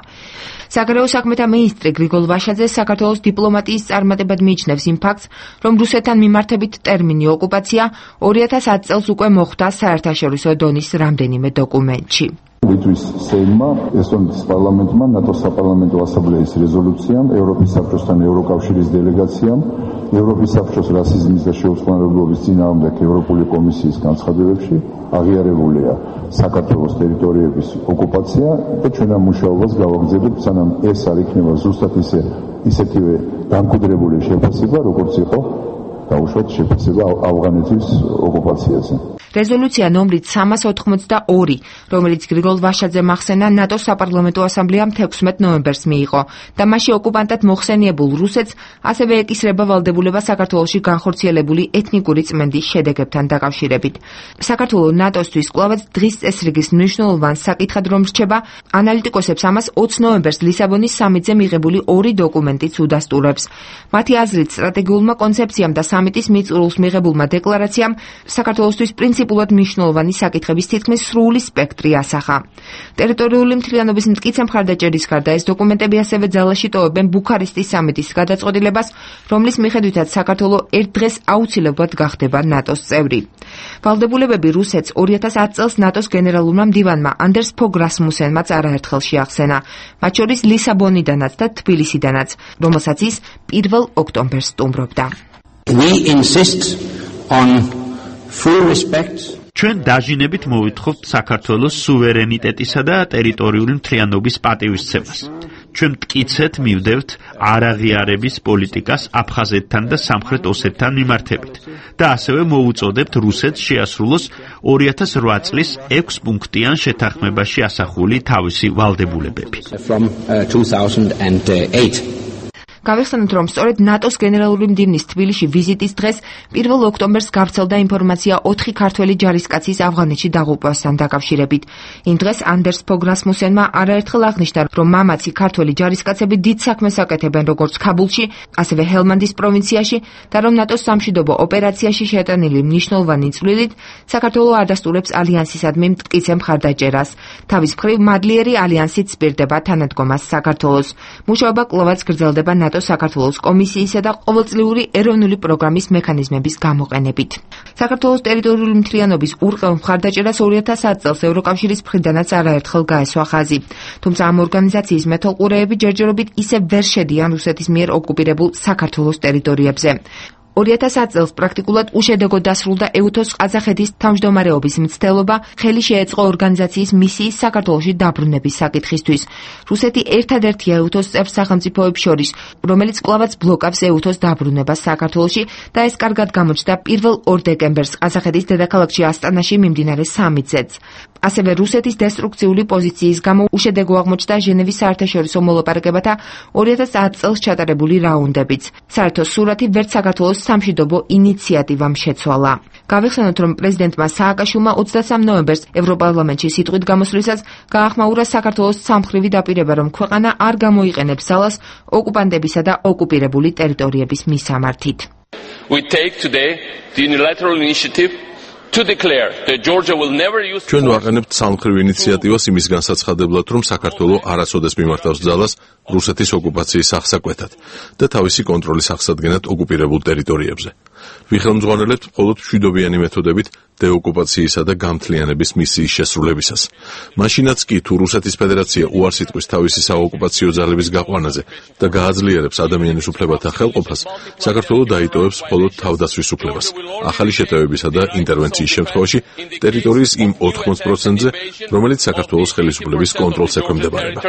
საგარეო საქმეთა მინისტრი გრიგოლ ვაშაძე საქართველოს დიპლომატიის წარმატებად მიიჩნევს იმ ფაქტს, რომ რუსეთთან მიმართებით ტერმინი ოკუპაცია 2010 წელს უკვე მოხვდა საერთაშორისო დონის რამდენიმე დოკუმენტში. ლიტვის სეიმმა, ესტონეთის პარლამენტმა, ნატოს საპარლამენტო ასამბლეის რეზოლუციამ, ევროპის საბჭოსთან ევროკავშირის დელეგაციამ, ევროპის საბჭოს რასიზმის და შეუწყნარებლობის წინააღმდეგ ევროპული კომისიის განცხადებებში აღიარებულია საქართველოს ტერიტორიების ოკუპაცია და ჩვენ ამ მუშაობას გავაგრძელებთ, სანამ ეს არ იქნება ზუსტად ისეთივე დამკვიდრებული შეფასება, როგორც იყო დაუშვათ შეფასება ავღანეთის ოკუპაციაზე. რეზოლუცია ნომრით 382, რომელიც გრიგოლ ვაშაძემ ახსენა ნატოს საპარლამენტო ასამბლეამ 16 ნოემბერს მიიღო და მასში ოკუპანტად მოხსენიებულ რუსეთს ასევე ეკისრება ვალდებულება საქართველოში განხორციელებული ეთნიკური წმენდის შედეგებთან დაკავშირებით. საქართველო ნატოსთვის კვლავაც დღის წესრიგის მნიშვნელოვან საკითხად რომ რჩება, ანალიტიკოსებს ამას 20 ნოემბერს ლისაბონის სამიტზე მიღებული 2 დოკუმენტიც უდასტურებს. მათი აზრით, სტრატეგიულმა კონცეფციამ და სამიტის მიწურულს მიღებულმა დეკლარაციამ საქართველოსთვის პრინციპულად მნიშვნელოვანი საკითხების თითქმის სრული სპექტრი ასახა. ტერიტორიული მთლიანობის მტკიცე მხარდაჭერის გარდა ეს დოკუმენტები ასევე ძალაში ტოვებენ ბუქარესტის სამიტის გადაწყვეტილებას, რომლის მიხედვითაც საქართველო ერთ დღეს აუცილებლად გახდება ნატოს წევრი. ვალდებულებები რუსეთს 2010 წელს ნატოს გენერალურმა მდივანმა ანდერს ფოგ რასმუსენმაც არაერთხელ შეახსენა, მათ შორის ლისაბონიდანაც და თბილისიდანაც, რომელსაც ის 1 ოქტომბერს სტუმრობდა. We insist on full respect ჩვენ დაჟინებით მოვითხოვთ საქართველოს სუვერენიტეტისა და ტერიტორიული მთლიანობის პატივისცემას. ჩვენ მტკიცედ მივდევთ არაღიარების პოლიტიკას აფხაზეთთან და სამხრეთ ოსეთთან მიმართებით და ასევე მოუწოდებთ რუსეთს შეასრულოს 2008 წლის 6 პუნქტიან შეთანხმებაში ასახული თავისი ვალდებულებები. from 2008. გავიხსენოთ, რომ სწორედ ნატოს გენერალური მდივნის თბილისში ვიზიტის დღეს 1 ოქტომბერს გავრცელდა ინფორმაცია 4 ქართველი ჯარისკაცის ავღანეთში დაღუპვასთან დაკავშირებით. იმ დღეს ანდერს ფოგ რასმუსენმა არაერთხელ აღნიშნა, რომ მამაცი ქართველი ჯარისკაცები დიდ საქმეს აკეთებენ როგორც ქაბულში, ასევე ჰელმანდის პროვინციაში და რომ ნატოს სამშვიდობო ოპერაციაში შეტანილი მნიშვნელოვანი წვლილით საქართველოს არ დასტურებს ალიანსისადმი მტკიცე მხარდაჭერას. თავის მხრივ მადლიერი ალიანსით სპირდება თანადგომას საქართველოს. მუშაობა კვლავაც გრძელდება საქართველოს კომისიისა და ყოველწლიური ეროვნული პროგრამის მექანიზმების გამოყენებით. საქართველოს ტერიტორიული მთლიანობის ურყევ მხარდაჭერას 2010 წელს ევროკავშირის მხრიდანაც არაერთხელ გაესვა ხაზი. თუმცა ამ ორგანიზაციის მეთვალყურეები ჯერჯერობით ისევ ვერ შედიან რუსეთის მიერ ოკუპირებულ საქართველოს ტერიტორიებზე. 2010 წელს პრაქტიკულად უშედეგოდ დასრულდა ეუთოს ყაზახეთის თავმჯდომარეობის მცდელობა, ხელი შეეწყო ორგანიზაციის მისიის საქართველოში დაბრუნების საკითხისთვის. რუსეთი ერთადერთია ეუთოს წევრ სახელმწიფოებს შორის, რომელიც კვლავაც ბლოკავს ეუთოს დაბრუნებას საქართველოში და ეს კარგად გამოჩნდა 1 დეკემბერს ყაზახეთის დედაქალაქში ასტანაში მიმდინარე სამიტზეც. ასევე რუსეთის დესტრუქციული პოზიციის გამო უშედეგო აღმოჩნდა ჟენევის საერთაშორისო მოლაპარაკებათა 2010 წელს ჩატარებული რაუნდებიც. საერთო სურათი ვერც საქართველოს სამშვიდობო ინიციატივამ შეცვალა. გავიხსენოთ, რომ პრეზიდენტმა სააკაშვილმა 23 ნოემბერს ევროპარლამენტში სიტყვით გამოსვლისას გაახმაურა საქართველოს სამხრივი დაპირება, რომ ქვეყანა არ გამოიყენებს ძალას ოკუპანტებისა და ოკუპირებული ტერიტორიების მისამართით. We take today the unilateral initiative to declare that Georgia will never use ჩვენ ვაყენებთ სამხრივ ინიციატივას იმის განსაცხადებლად, რომ საქართველო არასოდეს მიმართავს ძალას რუსეთის ოკუპაციის აღსაკვეთად და თავისი კონტროლის აღსადგენად ოკუპირებულ ტერიტორიებზე. ვიხელმძღვანელებთ მხოლოდ მშვიდობიანი მეთოდებით დეოკუპაციისა და გამთლიანების მისიის შესრულებისას. მაშინაც კი თუ რუსეთის ფედერაცია უარს იტყვის თავისი საოკუპაციო ძალების გაყვანაზე და გააძლიერებს ადამიანის უფლებათა ხელყოფას, საქართველო დაიტოვებს მხოლოდ თავდაცვის უფლებას. ახალი შეტევებისა და ინტერვენციის შემთხვევაში ტერიტორიის იმ 80%-ზე, რომელიც საქართველოს ხელისუფლების კონტროლს ექვემდებარება.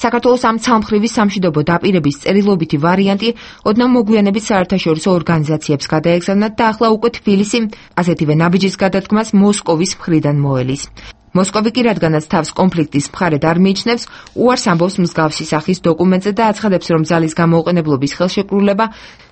საქართველოს ამ ცალმხრივი სამშვიდობო დაპირების წერილობითი ვარიანტი ოდნავ მოგვიანებით საერთაშორისო ორგანიზაციებს გადაეგზავნათ და ახლა უკვე თბილისი ასეთივე ნაბიჯის გადადგმას მოსკოვის მხრიდან მოელის. მოსკოვი კი რადგანაც თავს კონფლიქტის მხარედ არ მიიჩნევს, უარს ამბობს მსგავსი სახის დოკუმენტზე და აცხადებს, რომ ძალის გამოუყენებლობის ხელშეკრულება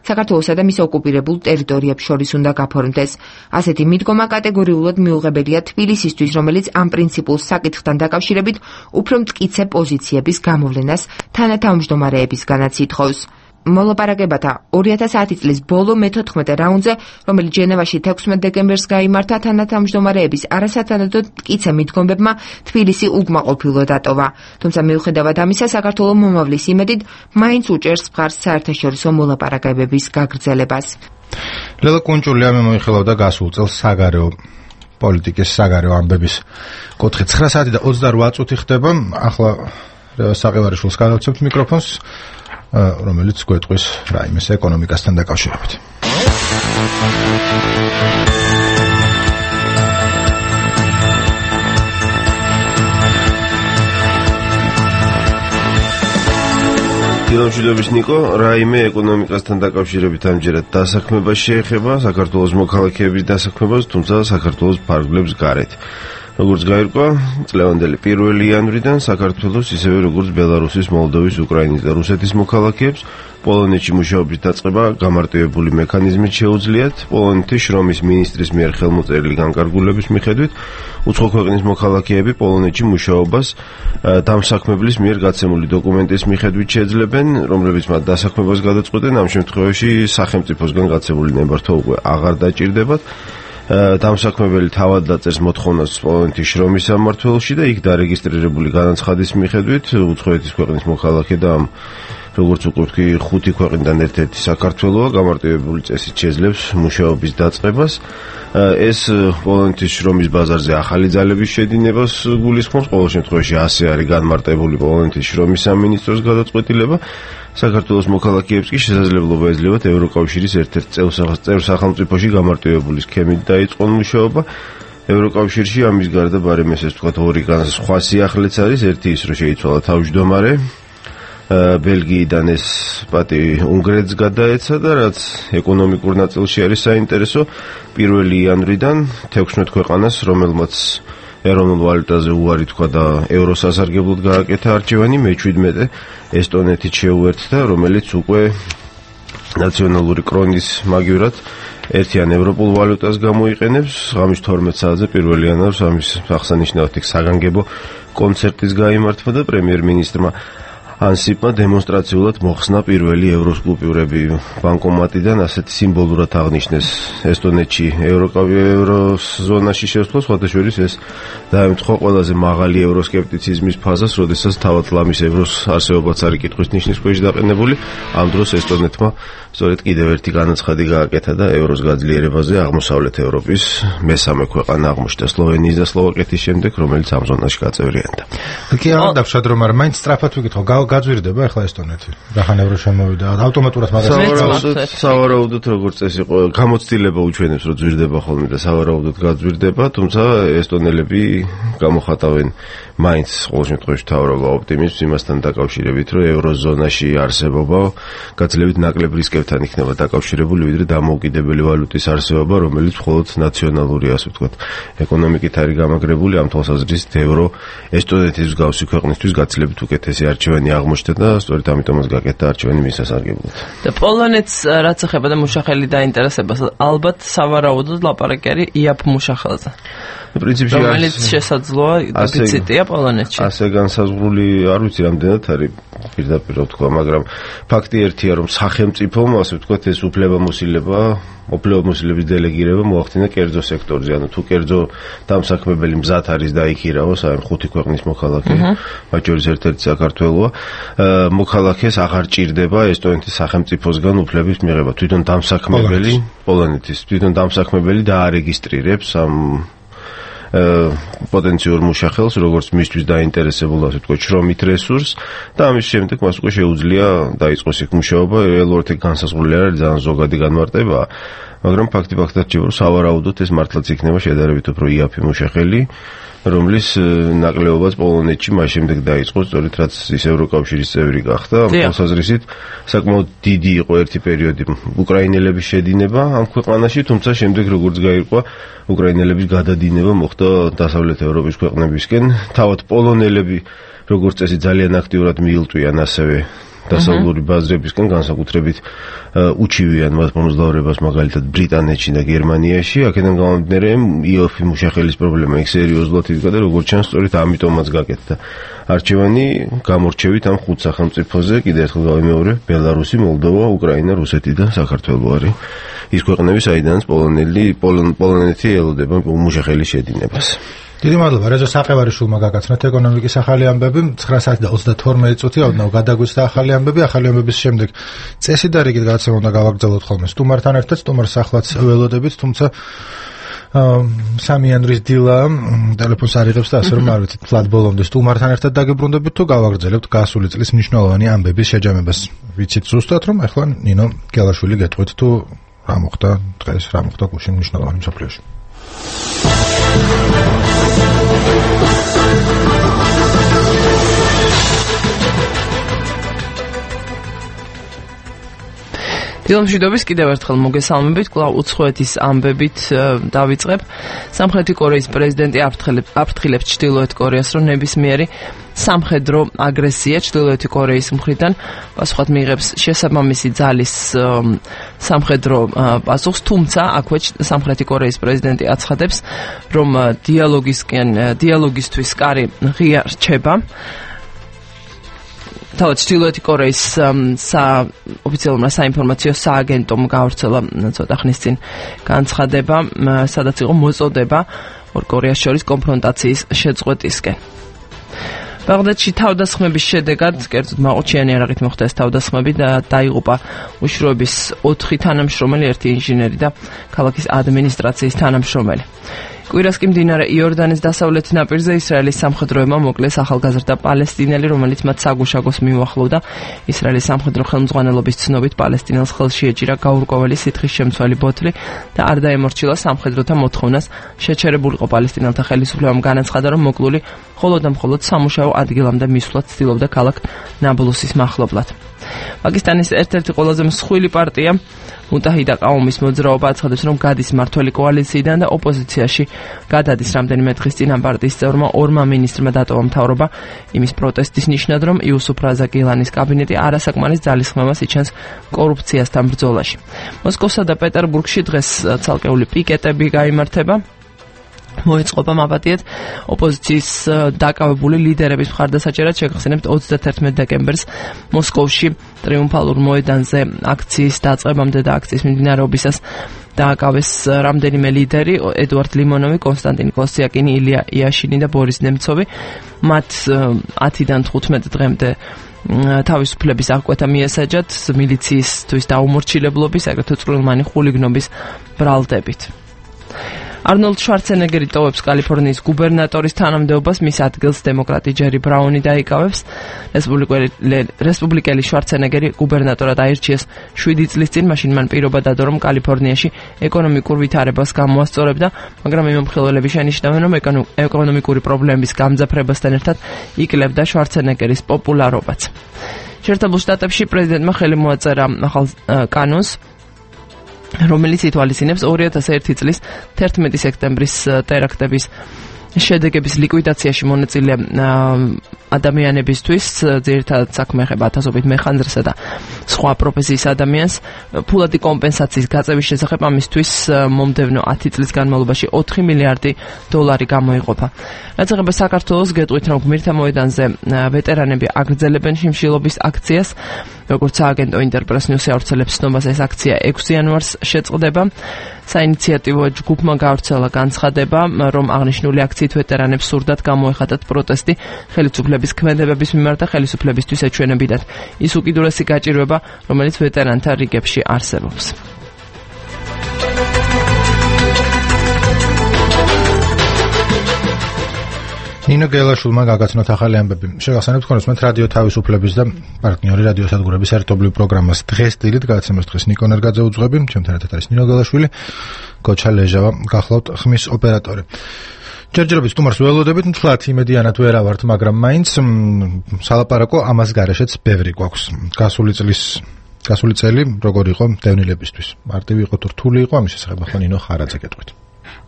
საქართველოსა და მის ოკუპირებულ ტერიტორიებს შორის უნდა გაფორმდეს. ასეთი მიდგომა კატეგორიულად მიუღებელია თბილისისთვის, რომელიც ამ პრინციპულ საკითხთან დაკავშირებით უფრო მტკიცე პოზიციების გამოვლენას თანათავმჯდომარეებისგანაც ითხოვს. მოლაპარაკებათა 2010 წლის ბოლო მე-14 რაუნდზე, რომელიც ჟენევაში 16 დეკემბერს გაიმართა, თანათავმჯდომარეების არასათანადო მტკიცე მიდგომებმა თბილისი უკმაყოფილო დატოვა. თუმცა მიუხედავად ამისა, საქართველოს მომავლის იმედით მაინც უჭერს მხარს საერთაშორისო მოლაპარაკებების გაგრძელებას. ლელა კუნჭულიამი მოიხილავდა გასულ წელს საგარეო პოლიტიკის საგარეო ამბების კუთხე 9 საათი და 28 წუთი ხდება. ახლა საყევარიშვილს გადავცემთ მიკროფონს, რომელიც გვეტყვის რაიმეს ეკონომიკასთან დაკავშირებით. დილამშვიდობის ნიკო, რაიმე ეკონომიკასთან დაკავშირებით ამჯერად დასაქმება შეეხება საქართველოს მოქალაქეების დასაქმებას, თუმცა საქართველოს ფარგლებს გარეთ. როგორც გაირკვა, წლევანდელი 1 იანვრიდან საქართველოს ისევე როგორც ბელარუსის, მოლდოვის, უკრაინის და რუსეთის მოქალაქეებს პოლონეთში მუშაობის დაწყება გამარტივებული მექანიზმით შეუძლიათ. პოლონეთის შრომის მინისტრის მიერ ხელმოწერილი განკარგულების მიხედვით უცხო ქვეყნის მოქალაქეები პოლონეთში მუშაობას დამსაქმებლის მიერ გაცემული დოკუმენტის მიხედვით შეძლებენ, რომლებიც მათ დასაქმებას გადაწყვეტენ. ამ შემთხვევაში სახელმწიფოსგან გაცემული ნებართვა უკვე აღარ დაჭირდებათ. დამსაქმებელი თავად დაწერს მოთხოვნას პოლონეთის შრომის სამმართველოში და იქ დარეგისტრირებული განაცხადის მიხედვით უცხოეთის ქვეყნის მოქალაქე და როგორც უკვე ვთქვი, 5 ქვეყნიდან ერთ-ერთი საქართველოა, გამარტივებული წესით შეძლებს მუშაობის დაწყებას. ეს პოლონეთის შრომის ბაზარზე ახალი ძალების შედინებას გულისხმობს. ყოველ შემთხვევაში ასე არის განმარტებული პოლონეთის შრომის სამინისტროს გადაწყვეტილება. საქართველოს მოქალაქეებს კი შესაძლებლობა ეძლევათ ევროკავშირის ერთ-ერთ წევრ სახელმწიფოში გამარტივებული სქემით დაიწყონ მუშაობა. ევროკავშირში ამის გარდა ბარემ ესე ვთქვათ ორი სხვა სიახლეც არის, ერთი ის რომ შეიცვალა თავმჯდომარე ბელგიიდან ეს პატივი უნგრეთს გადაეცა და რაც ეკონომიკურ ნაწილში არის საინტერესო 1 იანვრიდან 16 ქვეყანას, რომელმაც ეროვნულ ვალუტაზე უარი თქვა და ევროს ასარგებლოდ გააკეთა არჩევანი, მე-17 ესტონეთით შეუერთდა, რომელიც უკვე ნაციონალური კრონის მაგივრად ერთიან ევროპულ ვალუტას გამოიყენებს. ღამის 12 საათზე 1 იანვარს ამის აღსანიშნავად საგანგებო კონცერტის გაიმართვა და პრემიერ-მინისტრმა ანსიპმა დემონსტრაციულად მოხსნა პირველი ევროს კუპიურები ბანკომატიდან, ასეთი სიმბოლურად აღნიშნეს ესტონეთში ევროს ზონაში შესვლა, სხვადასხვა ეს დაემთხვა ყველაზე მაღალი ევროსკეპტიციზმის ფაზას, როდესაც თავად ლამის ევროს არსებობაც არის კითხვის ნიშნის ქვეშ დაყენებული. ამ დროს ესტონეთმა სწორედ კიდევ ერთი განაცხადი გააკეთა და ევროს გაძლიერებაზე აღმოსავლეთ ევროპის მესამე ქვეყანა აღმოჩნდა სლოვენიის და სლოვაკეთის შემდეგ, რომელიც ამ ზონაში გაწევრიანდა. კი, არ დავშად რომ არ მაინც სწრაფად ვიკითხო, გაძვირდება ახლა ესტონეთი. რახან ევრო შემოვიდა, ავტომატურად მაგას სავარაუდოდ როგორც წესი იყო, გამოცდილება უჩვენებს, რომ ძვირდება ხოლმე და სავარაუდოდ გაძვირდება, თუმცა ესტონელები გამოხატავენ მაინც ყოველ შემთხვევაში თავრობა ოპტიმიზმს იმასთან დაკავშირებით, რომ ევროზონაში არსებობა გაძლევით ნაკლებ რისკებთან იქნება დაკავშირებული, ვიდრე დამოუკიდებელი ვალუტის არსებობა, რომელიც მხოლოდ ნაციონალური, ასე ვთქვათ, ეკონომიკით არის გამაგრებული. ამ თვალსაზრისით ევრო ესტონეთის მსგავსი ქვეყნისთვის გაცილებით უკეთესი არჩევანი აღმოჩნდა და სწორედ ამიტომაც გაკეთდა არჩევანი მის სასარგებლოდ. და პოლონეთს რაც ეხება და მუშახელი დაინტერესებას, ალბათ სავარაუდოდ ლაპარაკი არის იაფ მუშახელზე. პრინციპში რომელიც შესაძლოა დეფიციტია პოლონეთში. ასე განსაზღვრული არ ვიცი რამდენად არის პირდაპირ ვთქვა, მაგრამ ფაქტი ერთია, რომ სახელმწიფომ, ასე ვთქვათ, ეს უფლებამოსილების დელეგირება მოახდინა კერძო სექტორზე, ანუ თუ კერძო დამსაქმებელი მზად არის დაიქირავოს, აი 5 ქვეყნის მოქალაქე, მათ შორის ერთ-ერთი საქართველოა, მოქალაქეს აღარ ჭირდება ესტონეთის სახელმწიფოსგან უფლების მიღება. თვითონ დამსაქმებელი პოლონეთის, თვითონ დამსაქმებელი დაარეგისტრირებს ამ პოტენციურ მუშახელს, როგორც მისთვის დაინტერესებულ, ასე ვთქვათ, შრომით რესურსს და ამის შემდეგ მას უკვე შეუძლია დაიწყოს იქ მუშაობა. რეალურად ეგ განსაზღვრული არ არის, ძალიან ზოგადი განმარტებაა, მაგრამ ფაქტად რჩება, რომ სავარაუდოდ ეს მართლაც იქნება შედარებით უფრო იაფი მუშახელი, რომლის ნაკლებობაც პოლონეთში მას შემდეგ დაიწყო, სწორედ რაც ის ევროკავშირის წევრი გახდა. ამ თვალსაზრისით საკმაოდ დიდი იყო ერთი პერიოდი უკრაინელების შედინება ამ ქვეყანაში, თუმცა შემდეგ როგორც გაირკვა, უკრაინელების გადადინება მოხდა დასავლეთ ევროპის ქვეყნებისკენ. თავად პოლონელები როგორც წესი ძალიან აქტიურად მიილტვიან ასევე დასავლური ბაზრებისგან, განსაკუთრებით უჩივიან მათ მომძლავრებას მაგალითად ბრიტანეთში და გერმანიაში. აქედან გამომდინარე, იოფი მუშახელის პრობლემა იქ სერიოზულად იდგა და როგორც ჩანს, სწორედ ამიტომაც გაკეთდა არჩევანი გამორჩევით ამ 5 სახელმწიფოზე. კიდევ ერთხელ გავიმეორე, ბელარუსი, მოლდოვა, უკრაინა, რუსეთი და საქართველო არის ის ქვეყნები, საიდანაც პოლონეთი ელოდება მუშახელის შედინებას. დიდი მადლობა რეზო საყევარიშვილმა გაგაცნოთ ეკონომიკის ახალი ამბები. 9:32 წუთი ოდნავ გადაგვიცხდა ახალი ამბების შემდეგ წესი და რიგით გადაცემა უნდა გავაგრძელოთ ხოლმე სტუმართან ერთად. სტუმარს ახლაც ველოდებით, თუმცა სამიანვრის დილა ტელეფონს არ იღებს და ასე რომ არ ვიცით ფლად ბოლომდე სტუმართან ერთად დაგებრუნდებით თუ გავაგრძელებთ გასული წლის მნიშვნელოვანი ამბების შეჯამებას. ვიცით ზუსტად რომ ახლა ნინო გელაშვილი გეტყვით თუ რა მოხდა დღეს, რა მოხდა გუშინ მნიშვნელოვანი მსოფლიოში. დილამშვიდობის კიდევ ერთხელ მოგესალმებით, კვლავ უცხოეთის ამბებით დავიწყებ. სამხრეთი კორეის პრეზიდენტი აფრთხილებს ჩრდილოეთ კორეას, რომ ნებისმიერი სამხედრო აგრესია ჩრდილოეთი კორეის მხრიდან პასუხად მიიღებს შესაბამისი ძალის სამხედრო პასუხს, თუმცა აქვე სამხრეთი კორეის პრეზიდენტი აცხადებს, რომ დიალოგისთვის კარი ღია რჩება. თავად ჩრდილოეთი კორეის ოფიციალურმა საინფორმაციო სააგენტომ გავრცელა ცოტა ხნის წინ განცხადება, სადაც იყო მოწოდება ორ კორეას შორის კონფრონტაციის შეწყვეტისკენ. ბაღდადში თავდასხმების შედეგად, კერძოდ მაყუჩიანი იარაღით მოხდა ეს თავდასხმები და დაიღუპა უშროების 4 თანამშრომელი, 1 ინჟინერი და ქალაქის ადმინისტრაციის თანამშრომელი. კვირას კი მდინარე იორდანის დასავლეთ ნაპირზე ისრაელის სამხედროებმა მოკლეს ახალგაზრდა პალესტინელი, რომელიც მათ საგუშაგოს მიუახლოვდა. ისრაელის სამხედრო ხელმძღვანელობის ცნობით პალესტინელს ხელში ეჭირა გაურკვეველი სითხის შემცველი ბოთლი და არ დაემორჩილა სამხედროთა მოთხოვნას. შეჩერებულიყო პალესტინელთა ხელისუფლებამ განაცხადა, რომ მოკლული მხოლოდ და მხოლოდ სამუშაო ადგილამდე მისვლაც ცდილობდა ქალაქ ნაბლუსის მახლობლად. პაკისტანის ერთ-ერთი ყველაზე მსხვილი პარტია მუტაჰიდა ყაუმის მოძრაობა აცხადებს, რომ გადის მმართველი კოალიციიდან და ოპოზიციაში გადადის. რამდენიმე დღის წინ ამ პარტიის წევრმა ორმა მინისტრმა დატოვა მთავრობა იმის პროტესტის ნიშნად, რომ იუსუფ რაზა გილანის კაბინეტი არასაკმარის ძალისხმევას იჩენს კორუფციასთან ბრძოლაში. მოსკოვსა და პეტერბურგში დღეს ცალკეული პიკეტები გაიმართება. მოეწყობა მაბატიეთ ოპოზიციის დაკავებული ლიდერების მხარდასაჭერად შეგახსენებთ 31 დეკემბერს მოსკოვში ტრიუმფალურ მოედანზე აქციის დაწყებამდე და აქციის მიმდინარეობისას დააკავეს რამდენიმე ლიდერი ედუარდ ლიმონოვი, კონსტანტინ კოსიაკინი, ილია იაშინი და ბორის ნემცოვი. მათ 10-დან 15 დღემდე თავისუფლების აღკვეთა მიესაჯათ მილიციისთვის დაუმორჩილებლობის, აგრეთვე წვრილმანი ხულიგნობის ბრალდებით. არნოლდ შვარცენეგერი ტოვებს კალიფორნიის გუბერნატორის თანამდებობას, მის ადგილს დემოკრატი ჯერი ბრაუნი დაიკავებს. რესპუბლიკელი შვარცენეგერი გუბერნატორად აირჩიეს 7 წლის წინ, მაშინ მან პირობა დადო, რომ კალიფორნიაში ეკონომიკურ ვითარებას გამოასწორებდა, მაგრამ მიმომხილველები შენიშნავენ, რომ ეკონომიკური პრობლემების გამძაფრებასთან ერთად იკლებდა შვარცენეგერის პოპულარობაც. შეერთებულ შტატებში პრეზიდენტმა ხელი მოაწერა ახალ კანონს, რომელიც ითვალისწინებს 2001 წლის 11 სექტემბრის ტერაქტების შედეგების ლიკვიდაციაში მონაწილე ადამიანებისთვის, ძირითადად საქმე ეხება ათასობით მეხანძრსა და სხვა პროფესიის ადამიანს, ფულადი კომპენსაციის გაწევის შესახებ ამისთვის მომდევნო 10 წლის განმავლობაში 4 მილიარდი დოლარი გამოიყოფა. რაც ეხება საქართველოს, გეტყვით, რომ გმირთა მოედანზე ვეტერანები აგრძელებენ შიმშილობის აქციას. როგორც სააგენტო ინტერპრეს ნიუსი ავრცელებს ცნობას, ეს აქცია 6 იანვარს შეწყდება. საინიციატივო ჯგუფმა გავრცელა განცხადება, რომ აღნიშნული აქციით ვეტერანებს სურდათ გამოეხატათ პროტესტი ხელისუფლების ქმედებების მიმართ და ხელისუფლებისთვის ეჩვენებინათ ის უკიდურესი გაჭირვება, რომელიც ვეტერანთა რიგებში არსებობს. ნინო გელაშვილმა გაგაცნოთ ახალი ამბები. შეგახსენებთ თქვენ რომ რადიო თავისუფლების და პარტნიორი რადიო სადგურების ერთობლივ პროგრამას დღეს დილით გადაცემას დღეს ნიკო ნერგაძე უძღვები, ჩემთან ერთად არის ნინო გელაშვილი, გოჩა ლეჟავა, გახლავთ ხმის ოპერატორი. ჯერჯერობით სტუმარს ველოდებით, თლათ იმედიანად ვერა ვართ, მაგრამ მაინც სალაპარაკო ამას გარეშეც ბევრი გვაქვს. გასული წელი როგორი იყო დევნილებისთვის? მარტივი იყო თუ რთული იყო? ამის შესახებ ახლა ნინო ხარაძე გეტყვით.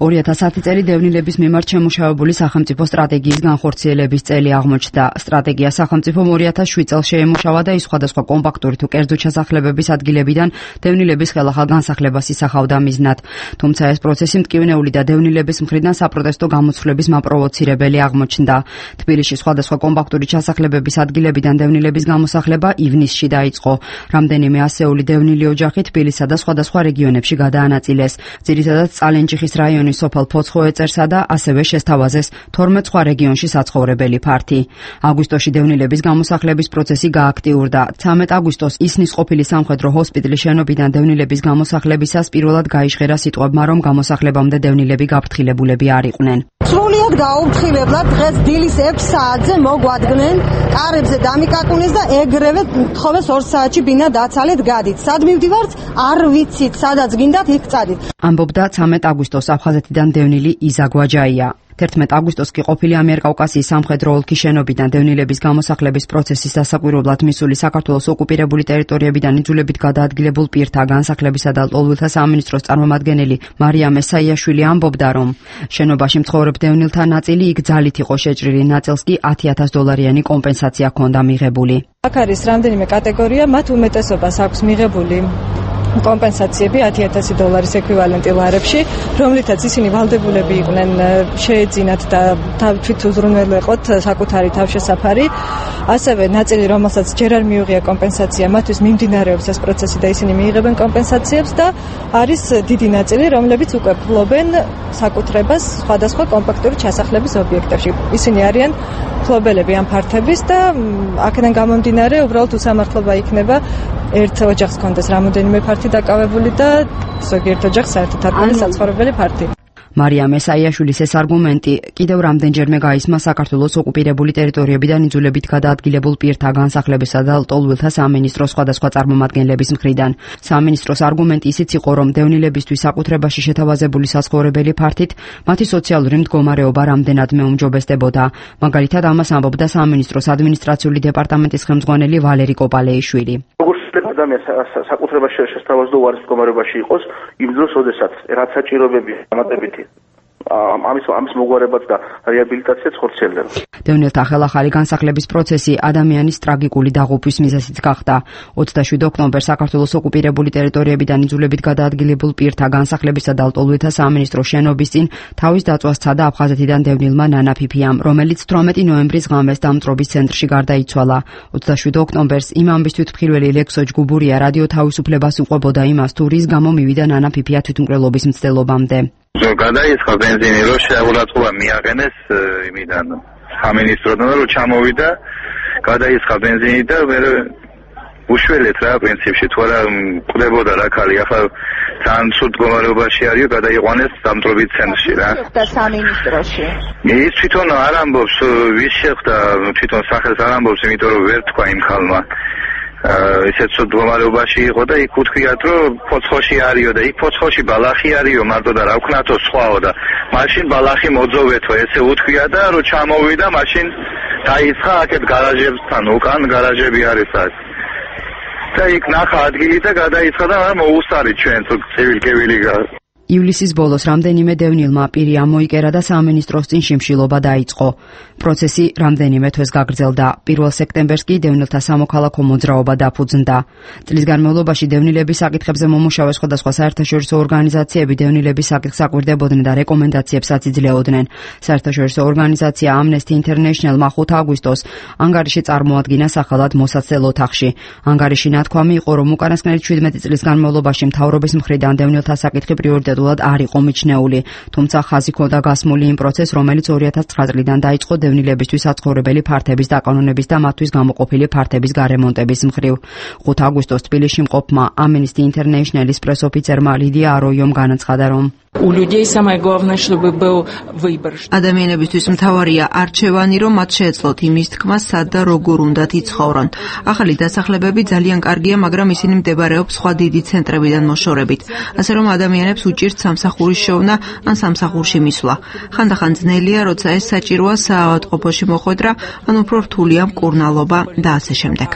2010 წელი დევნილების მიმართ შემუშავებული სახელმწიფო სტრატეგიის განხორციელების წელი აღმოჩნდა. სტრატეგია სახელმწიფომ 2007 წელს შეემუშავა და ის სხვადასხვა კომპაქტური თუ კერძო ჩასახლებების ადგილებიდან დევნილების ხელახალ განსახლებას ისახავდა მიზნად. თუმცა ეს პროცესი მტკივნეული და დევნილების მხრიდან საპროტესტო გამოცვლების მაპროვოცირებელი აღმოჩნდა. თბილისში სხვადასხვა კომპაქტური ჩასახლებების ადგილებიდან დევნილების გამოსახლება ივნისში დაიწყო. რამდენიმე ასეული დევნილი ოჯახი თბილისსა და სხვადასხვა რეგიონებში გადაანაწილეს. ძირითადად წალენჯიხის რაიონის სოფელ ფოცხოეწერსა და ასევე შესთავაზეს 12 სხვა რეგიონში საცხოვრებელი ფართი. აგვისტოში დევნილების გამოსახლების პროცესი გააქტიურდა. 13 აგვისტოს ისნის ყოფილი სამხედრო ჰოსპიტალის შენობიდან დევნილების გამოსახლებისას პირველად გაიჟღერა სიტყვებმა, რომ გამოსახლებამდე დევნილები გაფრთხილებულები არ იყვნენ. სრულიად გაუფრთხილებულად დღეს დილის 6 საათზე მოგვადგნენ, კარებზე დამიკაკუნეს და ეგრევე თხოვეს 2 საათში ბინა დაცალეთ გადით. სად მივდივართ? არ ვიცით, სადაც გინდათ იქ წადით. ამბობდა 13 აგვისტოს აფხაზეთიდან დევნილი იზა გვაჯაია. 11 აგვისტოს კი ყოფილი ამიერკავკასიის სამხედრო ოლქის შენობიდან დევნილების გამოსახლების პროცესის დასაკვირვებლად მისული საქართველოს ოკუპირებული ტერიტორიებიდან იძულებით გადაადგილებულ პირთა განსახლებისა და ლტოლვილთა სამინისტროს წარმომადგენელი მარია მესაიაშვილი ამბობდა, რომ შენობაში მცხოვრებ დევნილთა ნაწილი იქ ძალით იყო შეჭრილი, ნაწილს კი $10,000 კომპენსაცია ჰქონდა მიღებული. აქ არის რამდენიმე კატეგორია, მათ უმეტესობას აქვს მიღებული კომპენსაციები $10,000 ეკვივალენტი ლარებში, რომლითაც ისინი ვალდებულები იყვნენ შეეძინათ და თვით უზრუნველყოთ საკუთარი თავშესაფარი. ასევე ნაწილი, რომელსაც ჯერ არ მიუღია კომპენსაცია, მათთვის მიმდინარეობს ეს პროცესი და ისინი მიიღებენ კომპენსაციებს და არის დიდი ნაწილი, რომლებიც უკვე ფლობენ საკუთრებას სხვადასხვა კომპაქტური ჩასახლების ობიექტებში. ისინი არიან ფლობელები ამ ფართების და აქედან გამომდინარე უბრალოდ უსამართლობა იქნება ერთ ოჯახს კონდეს რამოდენიმე ფართი დაკავებული და ზოგიერთ ოჯახს საერთოდ არ კონდეს საცხოვრებელი ფართი. მარიამ ესაიაშვილის ეს არგუმენტი კიდევ რამდენჯერმე გაისმა საქართველოს ოკუპირებული ტერიტორიებიდან იძულებით გადაადგილებულ პირთა განსახლებისა და ლტოლვილთა სამინისტროს სხვადასხვა წარმომადგენლების მხრიდან. სამინისტროს არგუმენტი ისიც იყო, რომ დევნილებისთვის საკუთრებაში შეთავაზებული საცხოვრებელი ფართით მათი სოციალური მდგომარეობა რამდენად მეუმჯობესდებოდა. მაგალითად, ამას ამბობდა სამინისტროს ადმინისტრაციული დეპარტამენტის ხელმძღვანელი ვალერი კოპალეიშვილი. ადამიანს საკუთრებაში შესთავაზდო უარის მდგომარეობაში იყოს იმ დროს, როდესაც რაც საჭიროებები დამატებითი ამის მოგვარებაც და რეაბილიტაციაც ხორციელდება. დევნილთა ხელახალი განსახლების პროცესი ადამიანის ტრაგიკული დაღუპვის მიზეზიც გახდა. 27 ოქტომბერს საქართველოს ოკუპირებული ტერიტორიებიდან იძულებით გადაადგილებულ პირთა განსახლებისა და ლტოლვილთა სამინისტროს შენობის წინ თავის დაწვას სცადა აფხაზეთიდან დევნილმა ნანა ფიფიამ, რომელიც 18 ნოემბრის ღამეს დამწრობის ცენტრში გარდაიცვალა. 27 ოქტომბერს იმ ამბის თვითმხილველი ლექსო ჯგუბურია რადიო თავისუფლებას უყვებოდა იმას, თუ რის გამო მივიდა ნანა ფიფია თვითმკვლელობის მცდელობამდე. გადაიწყო ბენზინი, რომ შეურაცხყოფა მიაღენეს იმიდან სამინისტროდან, რომ ჩამოვიდა, გადაიწყო ბენზინი და მე უშველეთ რა პრინციპში, თუ არა კვდებოდა რა ხალი, ახლა ძალიან ცუდ მდგომარეობაში არისო, გადაიყვანეს დამტრობით ცენტრში რა. და სამინისტროში. ის თვითონ არ ამბობს, ვის შეხვდა, თვითონ სახელს არ ამბობს, იმიტომ რომ ვერ თქვა იმ ხალმა. ისეთ ცუდ მდგომარეობაში იყო და იქ უთქვიათ, რომ ფოცხოში არისო და იქ ფოცხოში ბალახი არისო, მარტო და რა ვქნათო სხვაო და მაშინ ბალახი მოძოვეთო, ესე უთქვია და რომ ჩამოვიდა, მაშინ დაიწყა აქეთ გარაჟებთან, უკან გარაჟები არის აქ. და იქ ნახა ადგილი და გადაიწყა და მოუსარით ჩვენ თუ ცივილკევილი ივლისის ბოლოს რამდენიმე დევნილმა პირი ამოიკერა და სამინისტროს წინ შიმშილობა დაიწყო. პროცესი რამდენიმე თვეს გაგრძელდა. 1 სექტემბერს კი დევნილთა სამოქალაქო მოძრაობა დაფუძნდა. წლის განმავლობაში დევნილების საკითხებზე მომუშავე სხვადასხვა საერთაშორისო ორგანიზაციები დევნილების საკითხს აკვირდებოდნენ და რეკომენდაციებსაც იძლეოდნენ. საერთაშორისო ორგანიზაცია Amnesty International-მა 5 აგვისტოს ანგარიში წარმოადგინა სახელად მოსაცდელ ოთახში. ანგარიში ნათქვამი იყო, რომ უკანასკნელი 17 წლის განმავლობაში მთავრობის მხრიდან დევნილთა საკითხი პრიორიტეტულად არ იყო მიჩნეული, თუმცა ხაზი ჰქონდა გასმული იმ პროცესს, რომელიც 2009 წლიდან დაიწყო დევნილებისთვის საცხოვრებელი ფართების დაკანონების და მათთვის გამოყოფილი ფართების გარემონტების მხრივ. 5 აგვისტოს თბილისში მყოფმა Amnesty International-ის პრესოფიცერმა ლიდია აროიომ განაცხადა, რომ ადამიანებისთვის მთავარია არჩევანი, რომ მათ შეეძლოთ იმის თქმა, სად და როგორ უნდათ იცხოვრონ. ახალი დასახლებები ძალიან კარგია, მაგრამ ისინი მდებარეობს სხვა დიდი ცენტრებიდან მოშორებით, ასე რომ ადამიანებს უჭირთ სამსახურის შოვნა ან სამსახურში მისვლა. ხანდახან ძნელია, როცა ეს საჭიროა საავადმყოფოში მოხვედრა, ან უფრო რთულია მკურნალობა და ასე შემდეგ.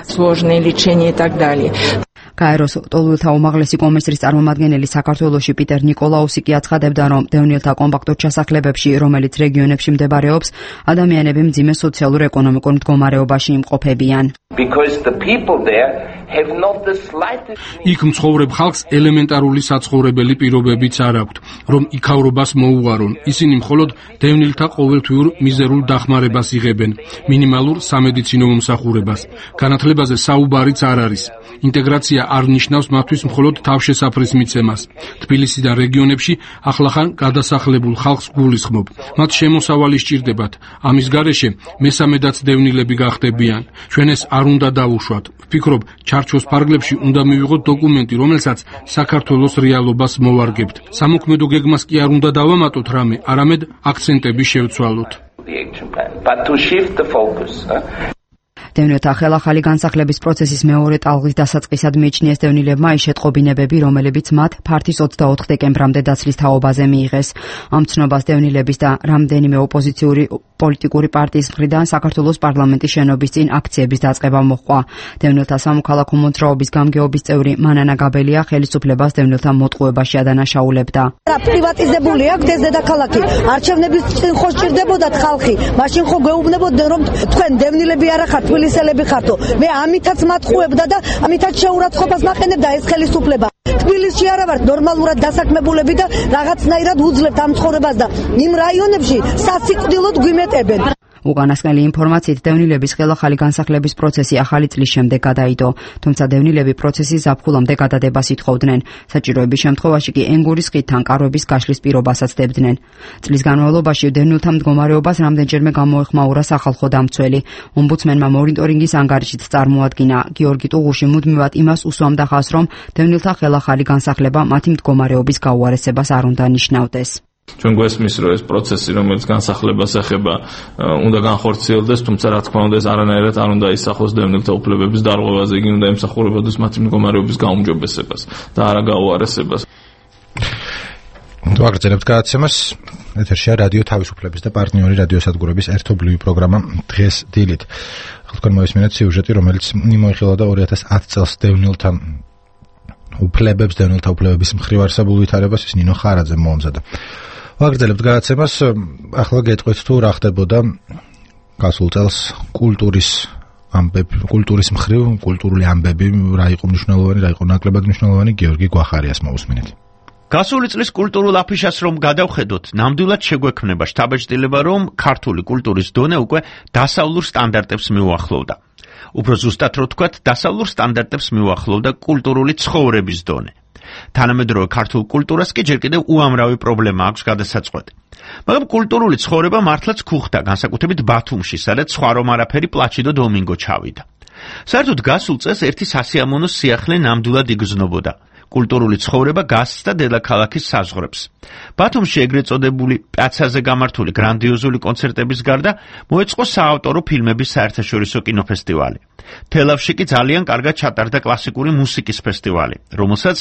გაეროს ლტოლვილთა უმაღლესი კომისრის წარმომადგენელი საქართველოში პიტერ ნიკოლაუსი კი აცხადებდა, რომ დევნილთა კომპაქტურ ჩასახლებებში, რომელიც რეგიონებში მდებარეობს, ადამიანები მძიმე სოციალურ-ეკონომიკურ მდგომარეობაში იმყოფებიან. იქ მცხოვრებ ხალხს ელემენტარული საცხოვრებელი პირობებიც არ აქვთ, რომ იქავრობას მოუღარონ. ისინი მხოლოდ დევნილთა ყოველთვიურ მიზერულ დახმარებას იღებენ, მინიმალურ სამედიცინო მომსახურებას. განათლებაზე საუბარიც არ არის. ინტეგრაცია არ ნიშნავს მათთვის მხოლოდ თავშესაფრის მიცემას. თბილისის და რეგიონებში ახლახან გადასახლებულ ხალხს გულისხმობ. მათ შემოსავალი სჭირდებათ. ამის გარეშე მესამედაც დევნილები გახდებიან. ჩვენ ეს არ უნდა დავუშვათ. ვფიქრობ, ჩარჩოს ფარგლებში უნდა მივიღოთ დოკუმენტი, რომელსაც საქართველოს რეალობას მოვარგებთ. სამოქმედო გეგმას კი არ უნდა დავამატოთ რამე, არამედ აქცენტები შევცვალოთ. დევნილთა ხელახალი განსახლების პროცესის მეორე ტალღის დასაწყისად მიიჩნიეს დევნილებმა ის შეტყობინებები, რომლებიც მათ ფართის 24 დეკემბრამდე დაცლის თაობაზე მიიღეს. ამ ცნობას დევნილების და რამდენიმე ოპოზიციური პოლიტიკური პარტიის მხრიდან საქართველოს პარლამენტის შენობის წინ აქციების დაწყება მოჰყვა. დევნილთა სამოქალაქო მოძრაობის გამგეობის წევრი მანანა გაბელია ხელისუფლებას დევნილთა მოტყუებაში ადანაშაულებდა. პრივატიზებული აქვს ეს დედაქალაქი. არჩევნების წინ ხო სჭირდებოდათ ხალხი, მაშინ ხო გვეუბნებოდნენ, რომ თქვენ დევნილები არ ხართ, თბილისელები ხართო. მე ამითაც მათყუებდა და ამითაც შეურაცხყოფას მაყენებდა ეს ხელისუფლება. თბილისში არა ვართ ნორმალურად დასაქმებულები და რაღაცნაირად უძლებთ ამ ცხოვრებას და იმ რაიონებში სასიკვდილოდ გვიმეტებენ. უკანასკნელი ინფორმაციით დევნილების ხელახალი განსახლების პროცესი ახალი წლის შემდეგ გადაიდო, თუმცა დევნილები პროცესის ზაფხულამდე გადადებას ითხოვდნენ. საჭიროების შემთხვევაში კი ენგურის ხიდთან კარვების გაშლის პირობასაც დებდნენ. წლის განმავლობაში დევნილთა მდგომარეობას რამდენჯერმე გამოეხმაურა სახალხო დამცველი. ომბუდსმენმა მონიტორინგის ანგარიშით წარმოადგინა, გიორგი ტუღუში მუდმივად იმას უსვამდა ხაზს, რომ დევნილთა ხელახალი განსახლება მათი მდგომარეობის გაუარესებას არ უნდა ნიშნავდეს. ჩვენ გვესმის, რომ ეს პროცესი, რომელიც განსახლებას ეხება, უნდა განხორციელდეს, თუმცა რა თქმა უნდა ეს არანაირად არ უნდა ისახოს დევნილთა უფლებების დარღვევაზე, იგი უნდა ემსახურებოდეს მათი მდგომარეობის გაუმჯობესებას და არა გაუარესებას. ვაგრძელებთ გადაცემას. ეთერშია რადიო თავისუფლების და პარტნიორი რადიოსადგურების ერთობლივი პროგრამა დღეს დილით. თქვენ მოისმინეთ სიუჟეტი, რომელიც მოიხილა და 2010 წელს დევნილთა უფლებების მხრივ არსებულ ვითარებას ის ნინო ხარაძემ მოამზადა. ვაგრძელებთ გადაცემას. ახლა გეტყვით თუ რა ხდებოდა გასულ წელს კულტურის მხრივ, კულტურული ამბები, რა იყო მნიშვნელოვანი, რა იყო ნაკლებად მნიშვნელოვანი, გიორგი გვახარიას მოусმინეთ. გასული წლის კულტურულ აფიშას რომ გადავხედოთ, ნამდვილად შეგვექმნება შთაბეჭდილება, რომ ქართული კულტურის დონე უკვე დასავლურ სტანდარტებს მიუახლოვდა. უფრო ზუსტად რო ვთქვათ, დასავლურ სტანდარტებს მიუახლოვდა კულტურული ცხოვრების დონე. თანამედროვე ქართულ კულტურას კი ჯერ კიდევ უამრავი პრობლემა აქვს გადასაწყვეტი. მაგრამ კულტურული ცხოვრება მართლაც ქუხდა, განსაკუთრებით ბათუმში, სადაც სხვა რომ არაფერი პლაჩიდო დომინგო ჩავიდა. საერთოდ გასულ წელს ერთი სასიამოვნო სიახლე ნამდვილად იგრძნობოდა. კულტურული ცხოვრება გასცდა დედაქალაქის საზღვრებს. ბათუმში ეგრეთ წოდებული პიაცაზე გამართული გრანდიოზული კონცერტების გარდა მოეწყო საავტორო ფილმების საერთაშორისო კინოფესტივალი. თელავში კი ძალიან კარგად ჩატარდა კლასიკური მუსიკის ფესტივალი, რომელსაც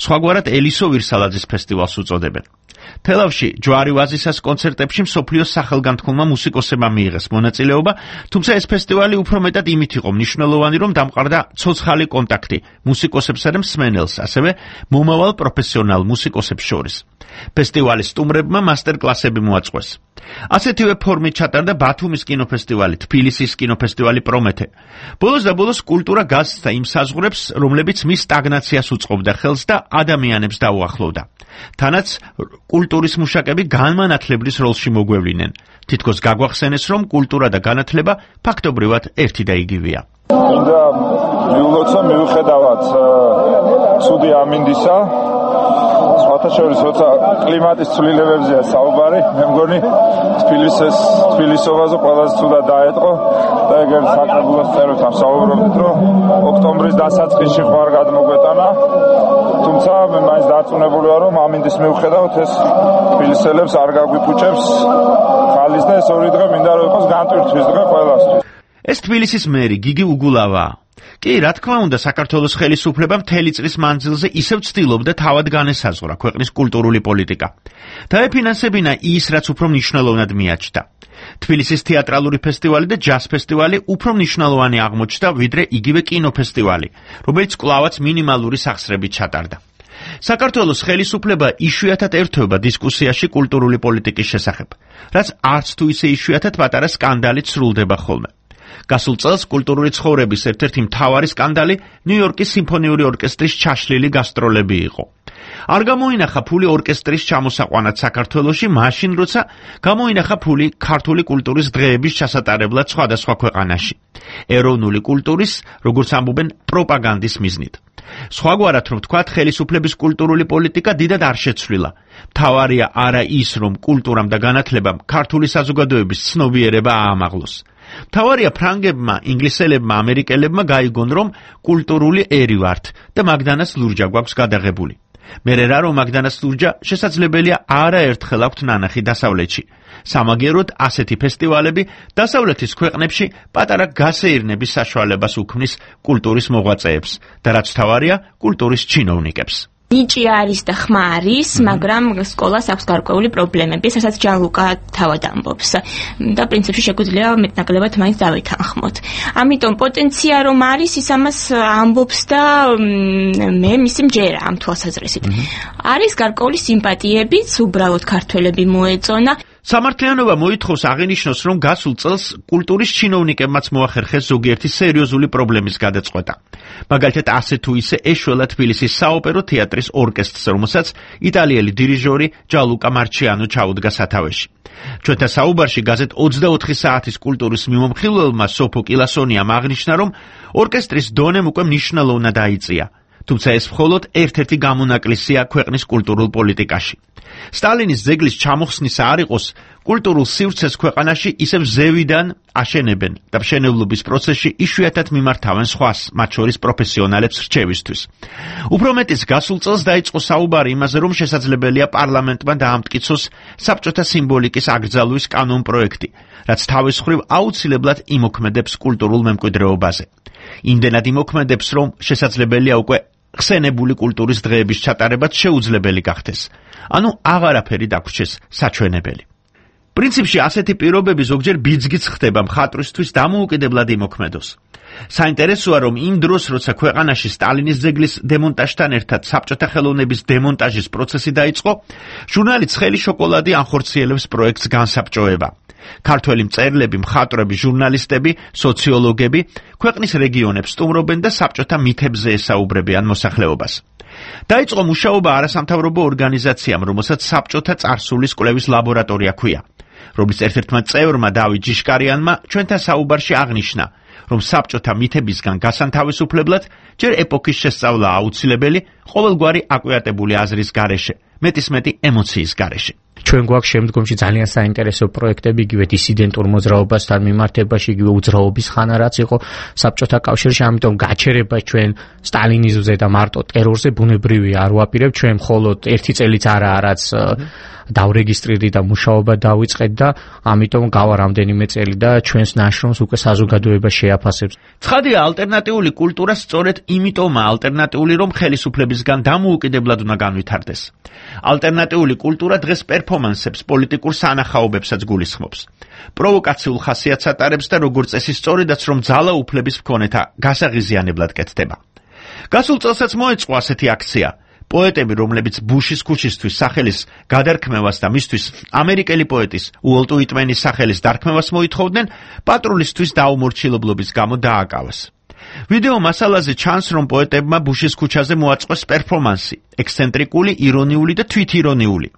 სხვაგვარად ელისო ვირსალაძის ფესტივალს უწოდებენ. თელავში ჯვარი ვაზისას კონცერტებში მსოფლიოს სახელგანთქმულმა მუსიკოსებმა მიიღეს მონაწილეობა, თუმცა ეს ფესტივალი უფრო მეტად იმით იყო მნიშვნელოვანი, რომ დამყარდა ცოცხალი კონტაქტი მუსიკოსებსა და მსმენელს, ასევე მომავალ პროფესიონალ მუსიკოსებს შორის. ფესტივალის სტუმრებმა მასტერ-კლასები მოაწყვეს. ასეთივე ფორმით ჩატარდა ბათუმის კინოფესტივალი, თბილისის კინოფესტივალი პრომეთე. ბოლოს და ბოლოს კულტურა გასცდა იმ საზღვრებს, რომლებიც მის სტაგნაციას უწყობდა ხელს და ადამიანებს დაუახლოვდა. თანაც კულტურის მუშაკები განმანათლებლის როლში მოგვევლინენ. თითქოს გაგვახსენეს, რომ კულტურა და განათლება ფაქტობრივად ერთი და იგივეა. მინდა მიულოცო მიუხედავად ცუდი ამინდისა, სხვათა შორის როცა კლიმატის ცვლილებებზეა საუბარი, მე მგონი თბილისობაზე ყველაზე ცუდად დაეტყო და ეგერ საკრებულოს წეროთან საუბრობთ, რომ ოქტომბრის დასაწყისში ხوار გადმოგვეტანა, თუმცა მე მაინც დარწმუნებული ვარ, რომ ამინდის მიუხედავად ეს თბილისელებს არ გაგვიფუჭებს ხალის და ეს ორი დღე მინდა რომ იყოს განტვირთვის დღე ყველასთვის. ეს თბილისის მერი გიგი უგულავაა. კი, რა თქმა უნდა, საქართველოს ხელისუფლება მთელი წლის მანძილზე ისევ ცდილობდა თავად განესაზღვრა ქვეყნის კულტურული პოლიტიკა. დაეფინანსებინა ის, რაც უფრო მნიშვნელოვნად მიაჩნდა. თბილისის თეატრალური ფესტივალი და ჯაზ ფესტივალი უფრო მნიშვნელოვანი აღმოჩნდა, ვიდრე იგივე კინოფესტივალი, რომელიც კვლავაც მინიმალური სახსრებით ჩატარდა. საქართველოს ხელისუფლება იშვიათად ერთვება დისკუსიაში კულტურული პოლიტიკის შესახებ, რაც არც თუ ისე იშვიათად პატარა სკანდალით სრულდება ხოლმე. გასულ წელს კულტურული ცხოვრების ერთ-ერთი მთავარი სკანდალი ნიუ-იორკის სიმფონიური ორკესტრის ჩაშლილი გასტროლები იყო. არ გამოინახა ფული ორკესტრის ჩამოსაყვანად საქართველოში, მაშინ როცა გამოინახა ფული ქართული კულტურის დღეების ჩასატარებლად სხვადასხვა ქვეყანაში. ეროვნული კულტურის, როგორც ამბობენ, პროპაგანდის მიზნით. სხვაგვარად რომ ვთქვათ, ხელისუფლების კულტურული პოლიტიკა დიდად არ შეცვლილა. მთავარია არა ის, რომ კულტურამ და განათლებამ ქართული საზოგადოების ცნობიერება აამაღლოს. მთავარია ფრანგებმა, ინგლისელებმა, ამერიკელებმა გაიგონ, რომ კულტურული ერი ვართ და მაგდანას ლურჯა გვაქვს გადაღებული. მერე რა რომ მაგდანას ლურჯა შესაძლებელია არაერთხელ აქვთ ნანახი დასავლეთში. სამაგეროდ ასეთი ფესტივალები დასავლეთის ქვეყნებში პატარა გასეირნების საშუალებას უქმნის კულტურის მოღვაწეებს და რაც მთავარია, კულტურის ჩინოვნიკებს. ნიჭი არის და ხმა არის, მაგრამ სკოლას აქვს გარკვეული პრობლემები, რასაც ჯანლუკა თავად ამბობს. და პრინციპში შეგვიძლია მეტნაკლებად მაინც დავითანხმოთ. ამიტომ პოტენცია რომ არის, ის ამას ამბობს და მე მისი მჯერა ამ თვალსაზრისით. არის გარკვეული სიმპათიებიც, უბრალოდ ქართველები მოეწონა. სამართლიანობა მოითხოვს აღინიშნოს, რომ გასულ წელს კულტურის ჩინოვნიკებმაც მოახერხეს ზოგიერთი სერიოზული პრობლემის გადაწყვეტა. მაგალითად, ასე თუ ისე ეშველა თბილისის საოპერო თეატრის ორკესტრს, რომელსაც იტალიელი დირიჟორი ჯალუკა მარჩიანო ჩაუდგა სათავეში. ჩვენთან საუბარში გაზეთ 24 საათის კულტურის მიმომხილველმა სოფო კილასონიამ აღნიშნა, რომ ორკესტრის დონემ უკვე მნიშვნელოვნად დაიწია. თუმცა ეს მხოლოდ ერთ-ერთი გამონაკლისია ქვეყნის კულტურულ პოლიტიკაში. სტალინის ძეგლის ჩამოხსნისა არ იყოს, კულტურულ სივრცეს ქვეყანაში ისევ ზევიდან აშენებენ და მშენებლობის პროცესში იშვიათად მიმართავენ სხვას, მათ შორის პროფესიონალებს რჩევისთვის. უფრო მეტიც გასულ წელს დაიწყო საუბარი იმაზე, რომ შესაძლებელია პარლამენტმა დაამტკიცოს საბჭოთა სიმბოლიკის აკრძალვის კანონპროექტი, რაც თავის მხრივ აუცილებლად იმოქმედებს კულტურულ მემკვიდრეობაზე. იმდენად იმოქმედებს, რომ შესაძლებელია უკვე ხსენებული კულტურის დღეების ჩატარებაც შეუძლებელი გახდეს. ანუ აღარაფერი დაგვრჩეს საჩვენებელი. პრინციპში ასეთი პირობები ზოგჯერ ბიძგიც ხდება მხატვრისთვის დამოუკიდებლად იმოქმედოს. საინტერესოა, რომ იმ დროს, როცა ქვეყანაში სტალინის ძეგლის დემონტაჟთან ერთად საბჭოთა ხელოვნების დემონტაჟის პროცესი დაიწყო, ჟურნალი ცხელი შოკოლადი ანხორციელებს პროექტს განსაბჭოება. ქართველი მწერლები, მხატვრები, ჟურნალისტები, სოციოლოგები ქვეყნის რეგიონებს სტუმრობენ და საბჭოთა მითებზე ესაუბრებიან მოსახლეობას. დაიწყო მუშაობა არასამთავრობო ორგანიზაციამ, რომელსაც საბჭოთა წარსულის კვლევის ლაბორატორია ჰქვია, რომლის ერთ-ერთმა წევრმა დავით ჯიშკარიანმა ჩვენთან საუბარში აღნიშნა, რომ საბჭოთა მითებისგან გასანთავისუფლებლად ჯერ ეპოქის შესწავლა აუცილებელი, ყოველგვარი აკვიატებული აზრის გარეშე, მეტისმეტი ემოციის გარეშე. ჩვენ გვაქვს შემდგომში ძალიან საინტერესო პროექტები იგივე დისიდენტურ მოძრაობასთან მიმართებაში, იგივე უძრაობის ხანა რაც იყო საბჭოთა კავშირში, ამიტომ გაჩერება ჩვენ სტალინიზმზე და მარტო ტერორზე ბუნებრივია, არ ვაპირებ ჩვენ მხოლოდ ერთი წელიც არაა რაც დავრეგისტრირდი და მუშაობა დავიწყეთ და ამიტომ გავა რამდენიმე წელი და ჩვენს ნაშრომს უკვე საზოგადოება შეაფასებს. ცხადია, ალტერნატიული კულტურა სწორედ იმიტომაა ალტერნატიული, რომ ხელისუფლებისგან დამოუკიდებლად უნდა განვითარდეს. ალტერნატიული კულტურა დღეს პერფორმანსებს, პოლიტიკურ სანახაობებსაც გულისხმობს. პროვოკაციულ ხასიათს ატარებს და როგორც წესი სწორედაც რომ ძალაუფლების მქონეთა გასაღიზიანებლად კეთდება. გასულ წელსაც მოეწყო ასეთი აქცია. პოეტები, რომლებიც ბუშის ქუჩისთვის სახელის გადარქმევას და მისთვის ამერიკელი პოეტის უოლტ უიტმენის სახელის დარქმევას მოითხოვდნენ, პატრულისთვის დაუმორჩილებლობის გამო დააკავეს. ვიდეო მასალაზე ჩანს, რომ პოეტებმა ბუშის ქუჩაზე მოაწყვეს პერფორმანსი, ექსცენტრიკული, ირონიული და თვითირონიული,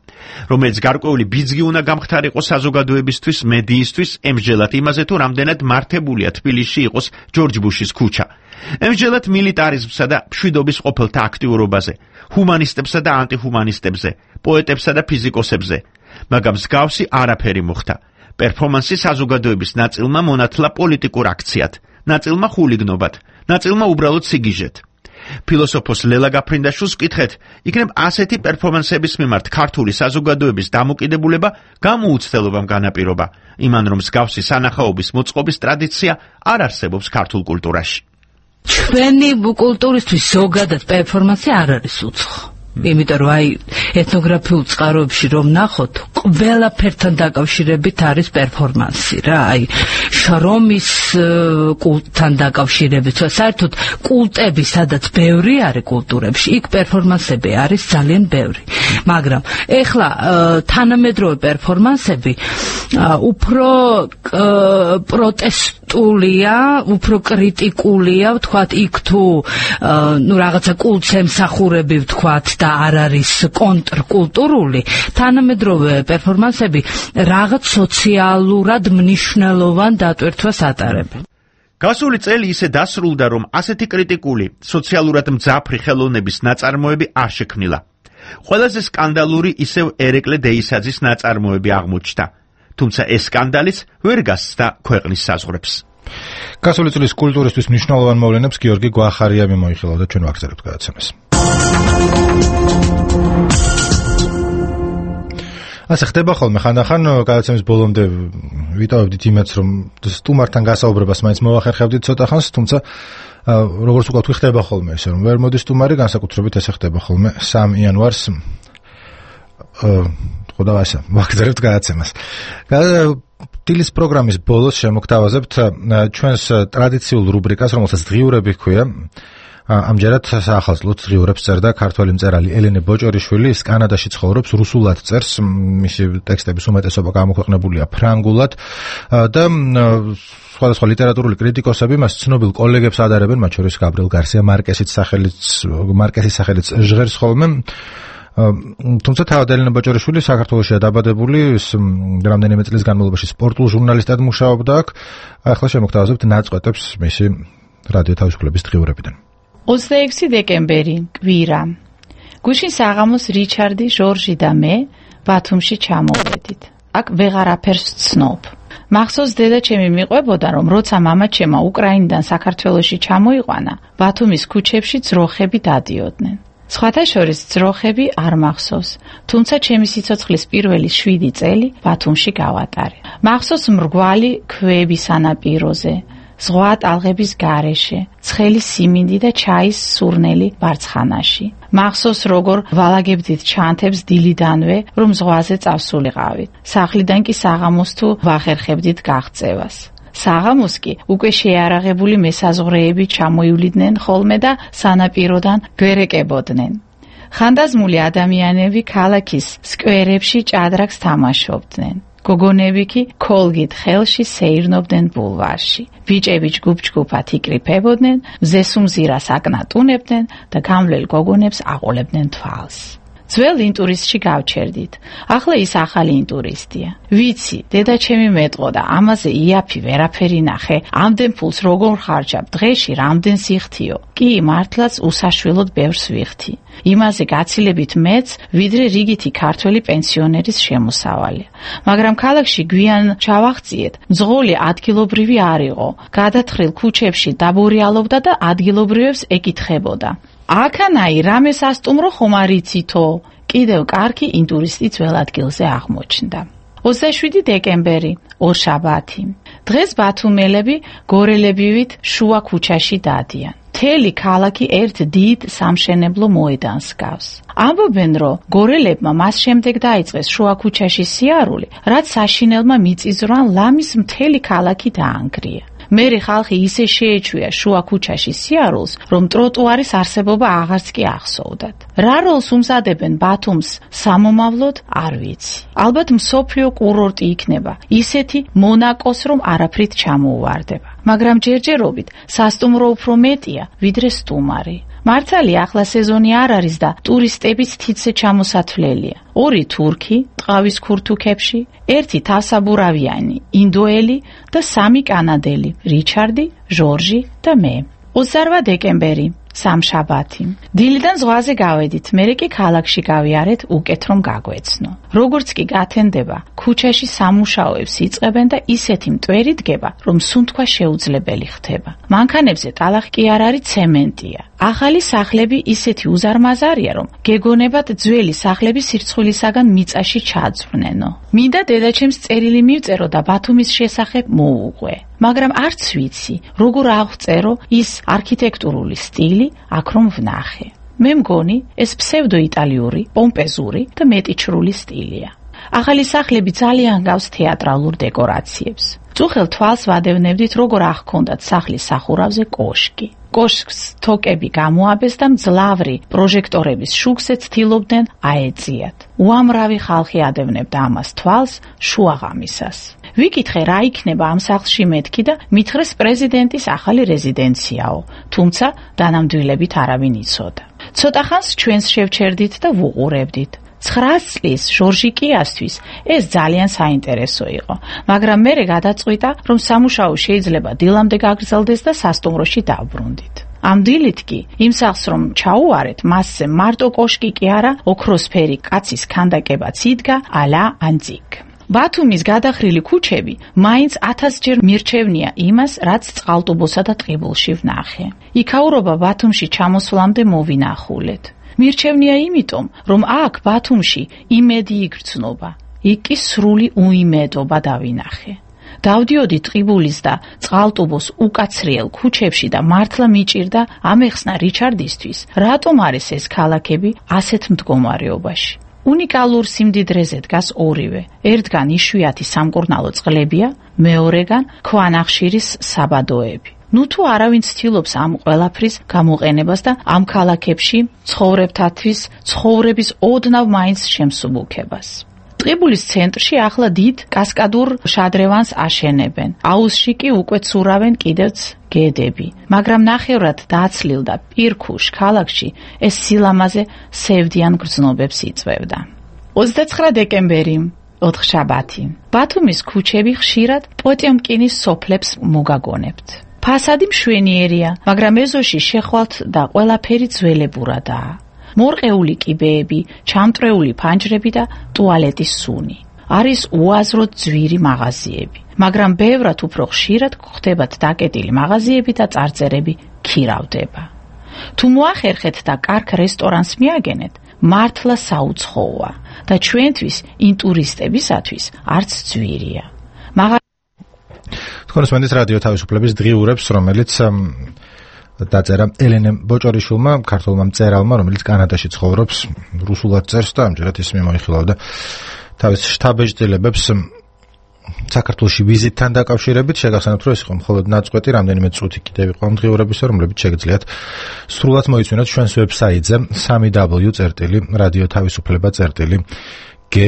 რომელიც გარკვეული ბიძგი უნდა გამხდარიყო საზოგადოებისთვის, მედიისთვის, ემსჯელად იმაზე, თუ რამდენად მართებულია თბილისში იყოს ჯორჯ ბუშის ქუჩა. ემსჯელად მილიტარიზმსა და მშვიდობის ყოფილთა აქტიურობაზე, ჰუმანისტებსა და ანტიჰუმანისტებზე, პოეტებსა და ფიზიკოსებზე, მაგრამ მსგავსი არაფერი მოხდა. პერფორმანსი საზოგადოების ნაწილმა მონათლა პოლიტიკურ აქციად, ნაწილმა ხულიგნობად, ნაწილმა უბრალოდ სიგიჟეთ. ფილოსოფოს ლელა გაფრინდაშვილს ვკითხეთ, იქნებ ასეთი პერფორმანსების მიმართ ქართული საზოგადოების დამოკიდებულება გამოუცდელობამ განაპირობა, იმან რომ მსგავსი სანახაობის მოწყობის ტრადიცია არ არსებობს ქართულ კულტურაში. ჩვენი კულტურისთვის ზოგადად პერფორმანსი არ არის უცხო. იმიტომ რომ აი ეთნოგრაფიულ წყაროებში რომ ნახოთ, ყველაფერთან დაკავშირებით არის პერფორმანსი რა, აი შრომის კულტთან დაკავშირებით, საერთოდ კულტები, სადაც ბევრი არის კულტურებში, იქ პერფორმანსები არის ძალიან ბევრი. მაგრამ ეხლა თანამედროვე პერფორმანსები უფრო პროტესტულია, უფრო კრიტიკულია, ვთქვათ, იქ თუ ნუ რაღაცა კულტს ემსახურები, ვთქვათ, და არ არის კონტრკულტურული, თანამედროვე პერფორმანსები რაღაც სოციალურად მნიშვნელოვან დატვირთვას ატარებენ. გასული წელი ისე დასრულდა, რომ ასეთი კრიტიკული, სოციალურად მძაფრი ხელოვნების ნაწარმოები არ შექმნილა. ყველაზე სკანდალური ისევ ერეკლე დეისაძის ნაწარმოები აღმოჩნდა. თუმცა ეს სკანდალიც ვერ გასცდა ქვეყნის საზღვრებს. გასული წლის კულტურისთვის მნიშვნელოვან მოვლენებს გიორგი გვახარია მიმოიხილავდა და ჩვენ ვაგზავნებთ გადაცემას. ასე ხდება ხოლმე ხანდახან გადაცემის ბოლომდე ვიტოვებდით იმაც, რომ სტუმართან გასაუბრებას მაინც მოვახერხებდით ცოტა ხანს, თუმცა როგორც უკვე თქვი ხდება ხოლმე ესე, რომ ვერ მოდის სტუმარი, განსაკუთრებით ესე ხდება ხოლმე 3 იანვარს ხოდა ასე ვაგზავნებთ გადაცემას. დილის პროგრამის ბოლოს შემოგთავაზებთ ჩვენს ტრადიციულ რუბრიკას, რომელსაც დღიურები ჰქვია. ამჯერად საახალწლოდ დღიურებს წერდა ქართველი მწერალი ელენე ბოჭორიშვილი, ის კანადაში ცხოვრობს, რუსულად წერს, მისი ტექსტების უმეტესობა გამოქვეყნებულია ფრანგულად და სხვადასხვა ლიტერატურული კრიტიკოსები მას ცნობილ კოლეგებს ადარებენ, მათ შორის გაბრიელ გარსია მარკესის სახელით ჟღერს ხოლმე. თუმცა თავად ელენე ბოჭორიშვილი საქართველოშია დაბადებული, ის რამდენიმე წლის განმავლობაში სპორტულ ჟურნალისტად მუშაობდა აქ. ახლა შემოგთავაზებთ ნაწყვეტებს მისი რადიო თავისუფლების დღიურებიდან. 26 დეკემბერი, კვირა. გუშინ საღამოს რიჩარდი, ჟორჟი და მე ბათუმში ჩამოვედით. აქ ვეღარაფერს ვცნობ. მახსოვს დედაჩემი მიყვებოდა, რომ როცა მამაჩემმა უკრაინიდან საქართველოში ჩამოიყვანა, ბათუმის ქუჩებში ძროხები დადიოდნენ. სხვათა შორის ძროხები არ მახსოვს, თუმცა ჩემი სიცოცხლის პირველი 7 წელი ბათუმში გავატარე. მახსოვს მრგვალი ქვები სანაპიროზე, ზღვა ტალღების გარეშე, ცხელი სიმინდი და ჩაის სურნელი ბარცხანაში. მახსოვს როგორ ვალაგებდით ჩანთებს დილიდანვე, რომ ზღვაზე წავსულიყავით. სახლიდან კი საღამოს თუ ვახერხებდით გაღწევას. საღამოს კი უკვე შეარაღებული მესაზღვრეები ჩამოივლიდნენ ხოლმე და სანაპიროდან გვერეკებოდნენ. ხანდაზმული ადამიანები ქალაქის სკვერებში ჭადრაკს თამაშობდნენ. გოგონები კი ქოლგით ხელში სეირნობდნენ ბულვარში. ბიჭები ჯგუფ-ჯგუფად იკრიფებოდნენ, მზესუმზირას აკნატუნებდნენ და გამვლელ გოგონებს აყოლებდნენ თვალს. ძველ ინტურისტში გავჩერდით. ახლა ის ახალი ინტურისტია. ვიცი, დედაჩემი მეტყოდა, ამაზე იაფი ვერაფერი ნახე, ამდენ ფულს როგორ ხარჯავ, დღეში რამდენ სიხთიო. კი, მართლაც უსაშველოდ ბევრს ვიხთი. იმაზე გაცილებით მეც, ვიდრე რიგითი ქართველი პენსიონერის შემოსავალი. მაგრამ ქალაქში გვიან ჩავახციეთ, მძღოლი ადგილობრივი არ იყო. გადათხრილ ქუჩებში დაბორიალობდა და ადგილობრივებს ეკითხებოდა. აქანაი რამეს ასტუმრო ხომ არ იცითო? კიდევ კარგი ინტურისტი ძველ ადგილზე აღმოჩნდა. 27 დეკემბერი, ორშაბათი. დღეს ბათუმელები გორელებივით შუა ქუჩაში დადიან. მთელი ქალაქი ერთ დიდ სამშენებლო მოედანს გავს. ამბობენ, რომ გორელებმა მას შემდეგ დაიწყეს შუა ქუჩაში სიარული, რაც საშინელმა მიწისძვრამ ლამის მთელი ქალაქი დაანგრია. მერე ხალხი ისე შეეჩვია შუა ქუჩაში სიარულს, რომ ტროტუარის არსებობა აღარც კი ახსოვდათ. რა როლს უმზადებენ ბათუმს სამომავლოდ, არ ვიცი. ალბათ მსოფლიო კურორტი იქნება, ისეთი მონაკოს, რომ არაფრით ჩამოუვარდება. მაგრამ ჯერჯერობით სასტუმრო უფრო მეტია, ვიდრე სტუმარი. მართალია ახლა სეზონი არ არის და ტურისტებიც თითზე ჩამოსათვლელია. 2 თურქი, ტყავის ქურთუქებში, 1 თავსაბურავიანი, ინდოელი და 3 კანადელი, რიჩარდი, ჟორჟი და მე. 28 დეკემბერი, სამშაბათი. დილიდან ზღვაზე გავედით, მერე კი ქალაქში გავიარეთ უკეთ რომ გაგვეცნო. როგორც კი გათენდება, ქუჩაში სამუშაოებს იწყებენ და ისეთი მტვერი დგება, რომ სუნთქვა შეუძლებელი ხდება. მანქანებზე ტალახი კი არ არის, ცემენტია. ახალი სახლები ისეთი უზარმაზარია, რომ გეგონებათ ძველი სახლები სირცხვილისაგან მიწაში ჩაძვრნენო. მინდა დედაჩემს წერილი მივწერო და ბათუმის შესახებ მოუყვე. მაგრამ არც ვიცი, როგორ აღწერო ის არქიტექტურული სტილი, აქ რომ ვნახე. მე მგონი, ეს ფსევდოიტალიური, პომპეზური და მეტიჩრული სტილია. ახალი სახლები ძალიან გავს თეატრალურ დეკორაციებს. წუხელ თვალს ვადევნებდით, როგორ აღქონდათ სახლის სახურავზე კოშკი. კოშკს თოკები გამოაბეს და მძლავრი პროჟექტორების შუქზე ცდილობდნენ აეწიათ. უამრავი ხალხი ადევნებდა ამას თვალს შუაღამისას. ვიკითხე, რა იქნება ამ სახლში მეთქი და მითხრეს პრეზიდენტის ახალი რეზიდენციაო, თუმცა დანამდვილებით არავინ იცოდა. ცოტა ხანს ჩვენს შევჩერდით და ვუყურებდით. 9 წლის ჟორჟიკიასთვის ეს ძალიან საინტერესო იყო, მაგრამ მერე გადაწყვიტა, რომ სამუშაო შეიძლება დილამდე გაგრძელდეს და სასტუმროში დავბრუნდით. ამ დილით კი იმ სახლს რომ ჩაუვარეთ, მასზე მარტო კოშკი კი არა, ოქროსფერი კაცის ქანდაკებაც იდგა ალა ანტიკ. ბათუმის გადახრილი ქუჩები მაინც 1000 ჯერ მირჩევნია იმას, რაც წყალტუბოსა და ტყიბულში ვნახე. იქაურობა ბათუმში ჩამოსვლამდე მოვინახულეთ. მირჩევნია იმიტომ, რომ აქ ბათუმში იმედი იგრძნობა, იქ კი სრული უიმედობა დავინახე. დავდიოდი ტყიბულის და წყალტუბოს უკაცრიელ ქუჩებში და მართლა მიჭირდა ამეხსნა რიჩარდისთვის, რატომ არის ეს ქალაქები ასეთ მდგომარეობაში. უნიკალურ სიმდიდრეზე დგას ორივე. ერთგან იშვიათი სამკურნალო წყლებია, მეორეგან ქვანახშირის საბადოები. ნუ თუ არავინ ცდილობს ამ ყველაფრის გამოყენებას და ამ ქალაქებში ცხოვრებთათვის ცხოვრების ოდნავ მაინც შემსუბუქებას. ტყიბულის ცენტრში ახლა დიდ კასკადურ შადრევანს აშენებენ. აუზში კი უკვე ცურავენ კიდევც გედები. მაგრამ ნახევრად დაცლილ და პირქუშ ქალაქში ეს სილამაზე სევდიან გრძნობებს იწვევდა. 29 დეკემბერი, ოთხშაბათი. ბათუმის ქუჩები ხშირად პოტიომკინის სოფლებს მოგაგონებთ. ფასადი მშვენიერია, მაგრამ ეზოში შეხვალთ და ყველაფერი ძველებურადაა. მორყეული კიბეები, ჩამტრეული ფანჯრები და ტუალეტის სუნი. არის უაზროდ ძვირი მაღაზიები, მაგრამ ბევრად უფრო ხშირად გვხდებათ დაკეტილი მაღაზიები და წარწერები ქირავდება. თუ მოახერხეთ და კარგ რესტორანს მიაგენეთ, მართლა საუცხოა და ჩვენთვის ინტურისტებისათვის არც ძვირია. თქვენ უსმენთ რადიო თავისუფლების დღიურებს, რომელიც დაწერა ელენე ბოჭორიშვილმა, ქართველმა მწერალმა, რომელიც კანადაში ცხოვრობს, რუსულად წერს და ამჯერად ის მიმოიხილავდა თავის შთაბეჭდილებებს საქართველოში ვიზიტთან დაკავშირებით. შეგახსენებთ, რომ ეს იყო მხოლოდ ნაწყვეტი, რამდენიმე წუთი კიდევ იყო ამ დღიურებისა, რომლებიც შეგიძლიათ სრულად მოიცვენოთ ჩვენს ვებსაიტზე www.radioთავისუფლება.ge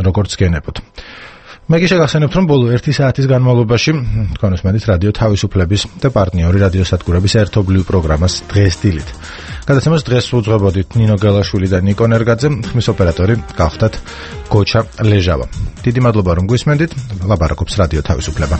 როგორც გენებოთ. მე კი შეგახსენებთ, რომ ბოლო 1 საათის განმავლობაში თქვენ უსმენთ რადიო თავისუფლების და პარტნიორი რადიოსადგურების ერთობლივ პროგრამას დღეს დილით. გადაცემას დღეს უძღვებოდით ნინო გელაშვილი და ნიკო ნერგაძე, ხმის ოპერატორი გახდათ გოჩა ლეჟავა. დიდი მადლობა რომ გვისმენდით, ლაპარაკობს რადიო თავისუფლება.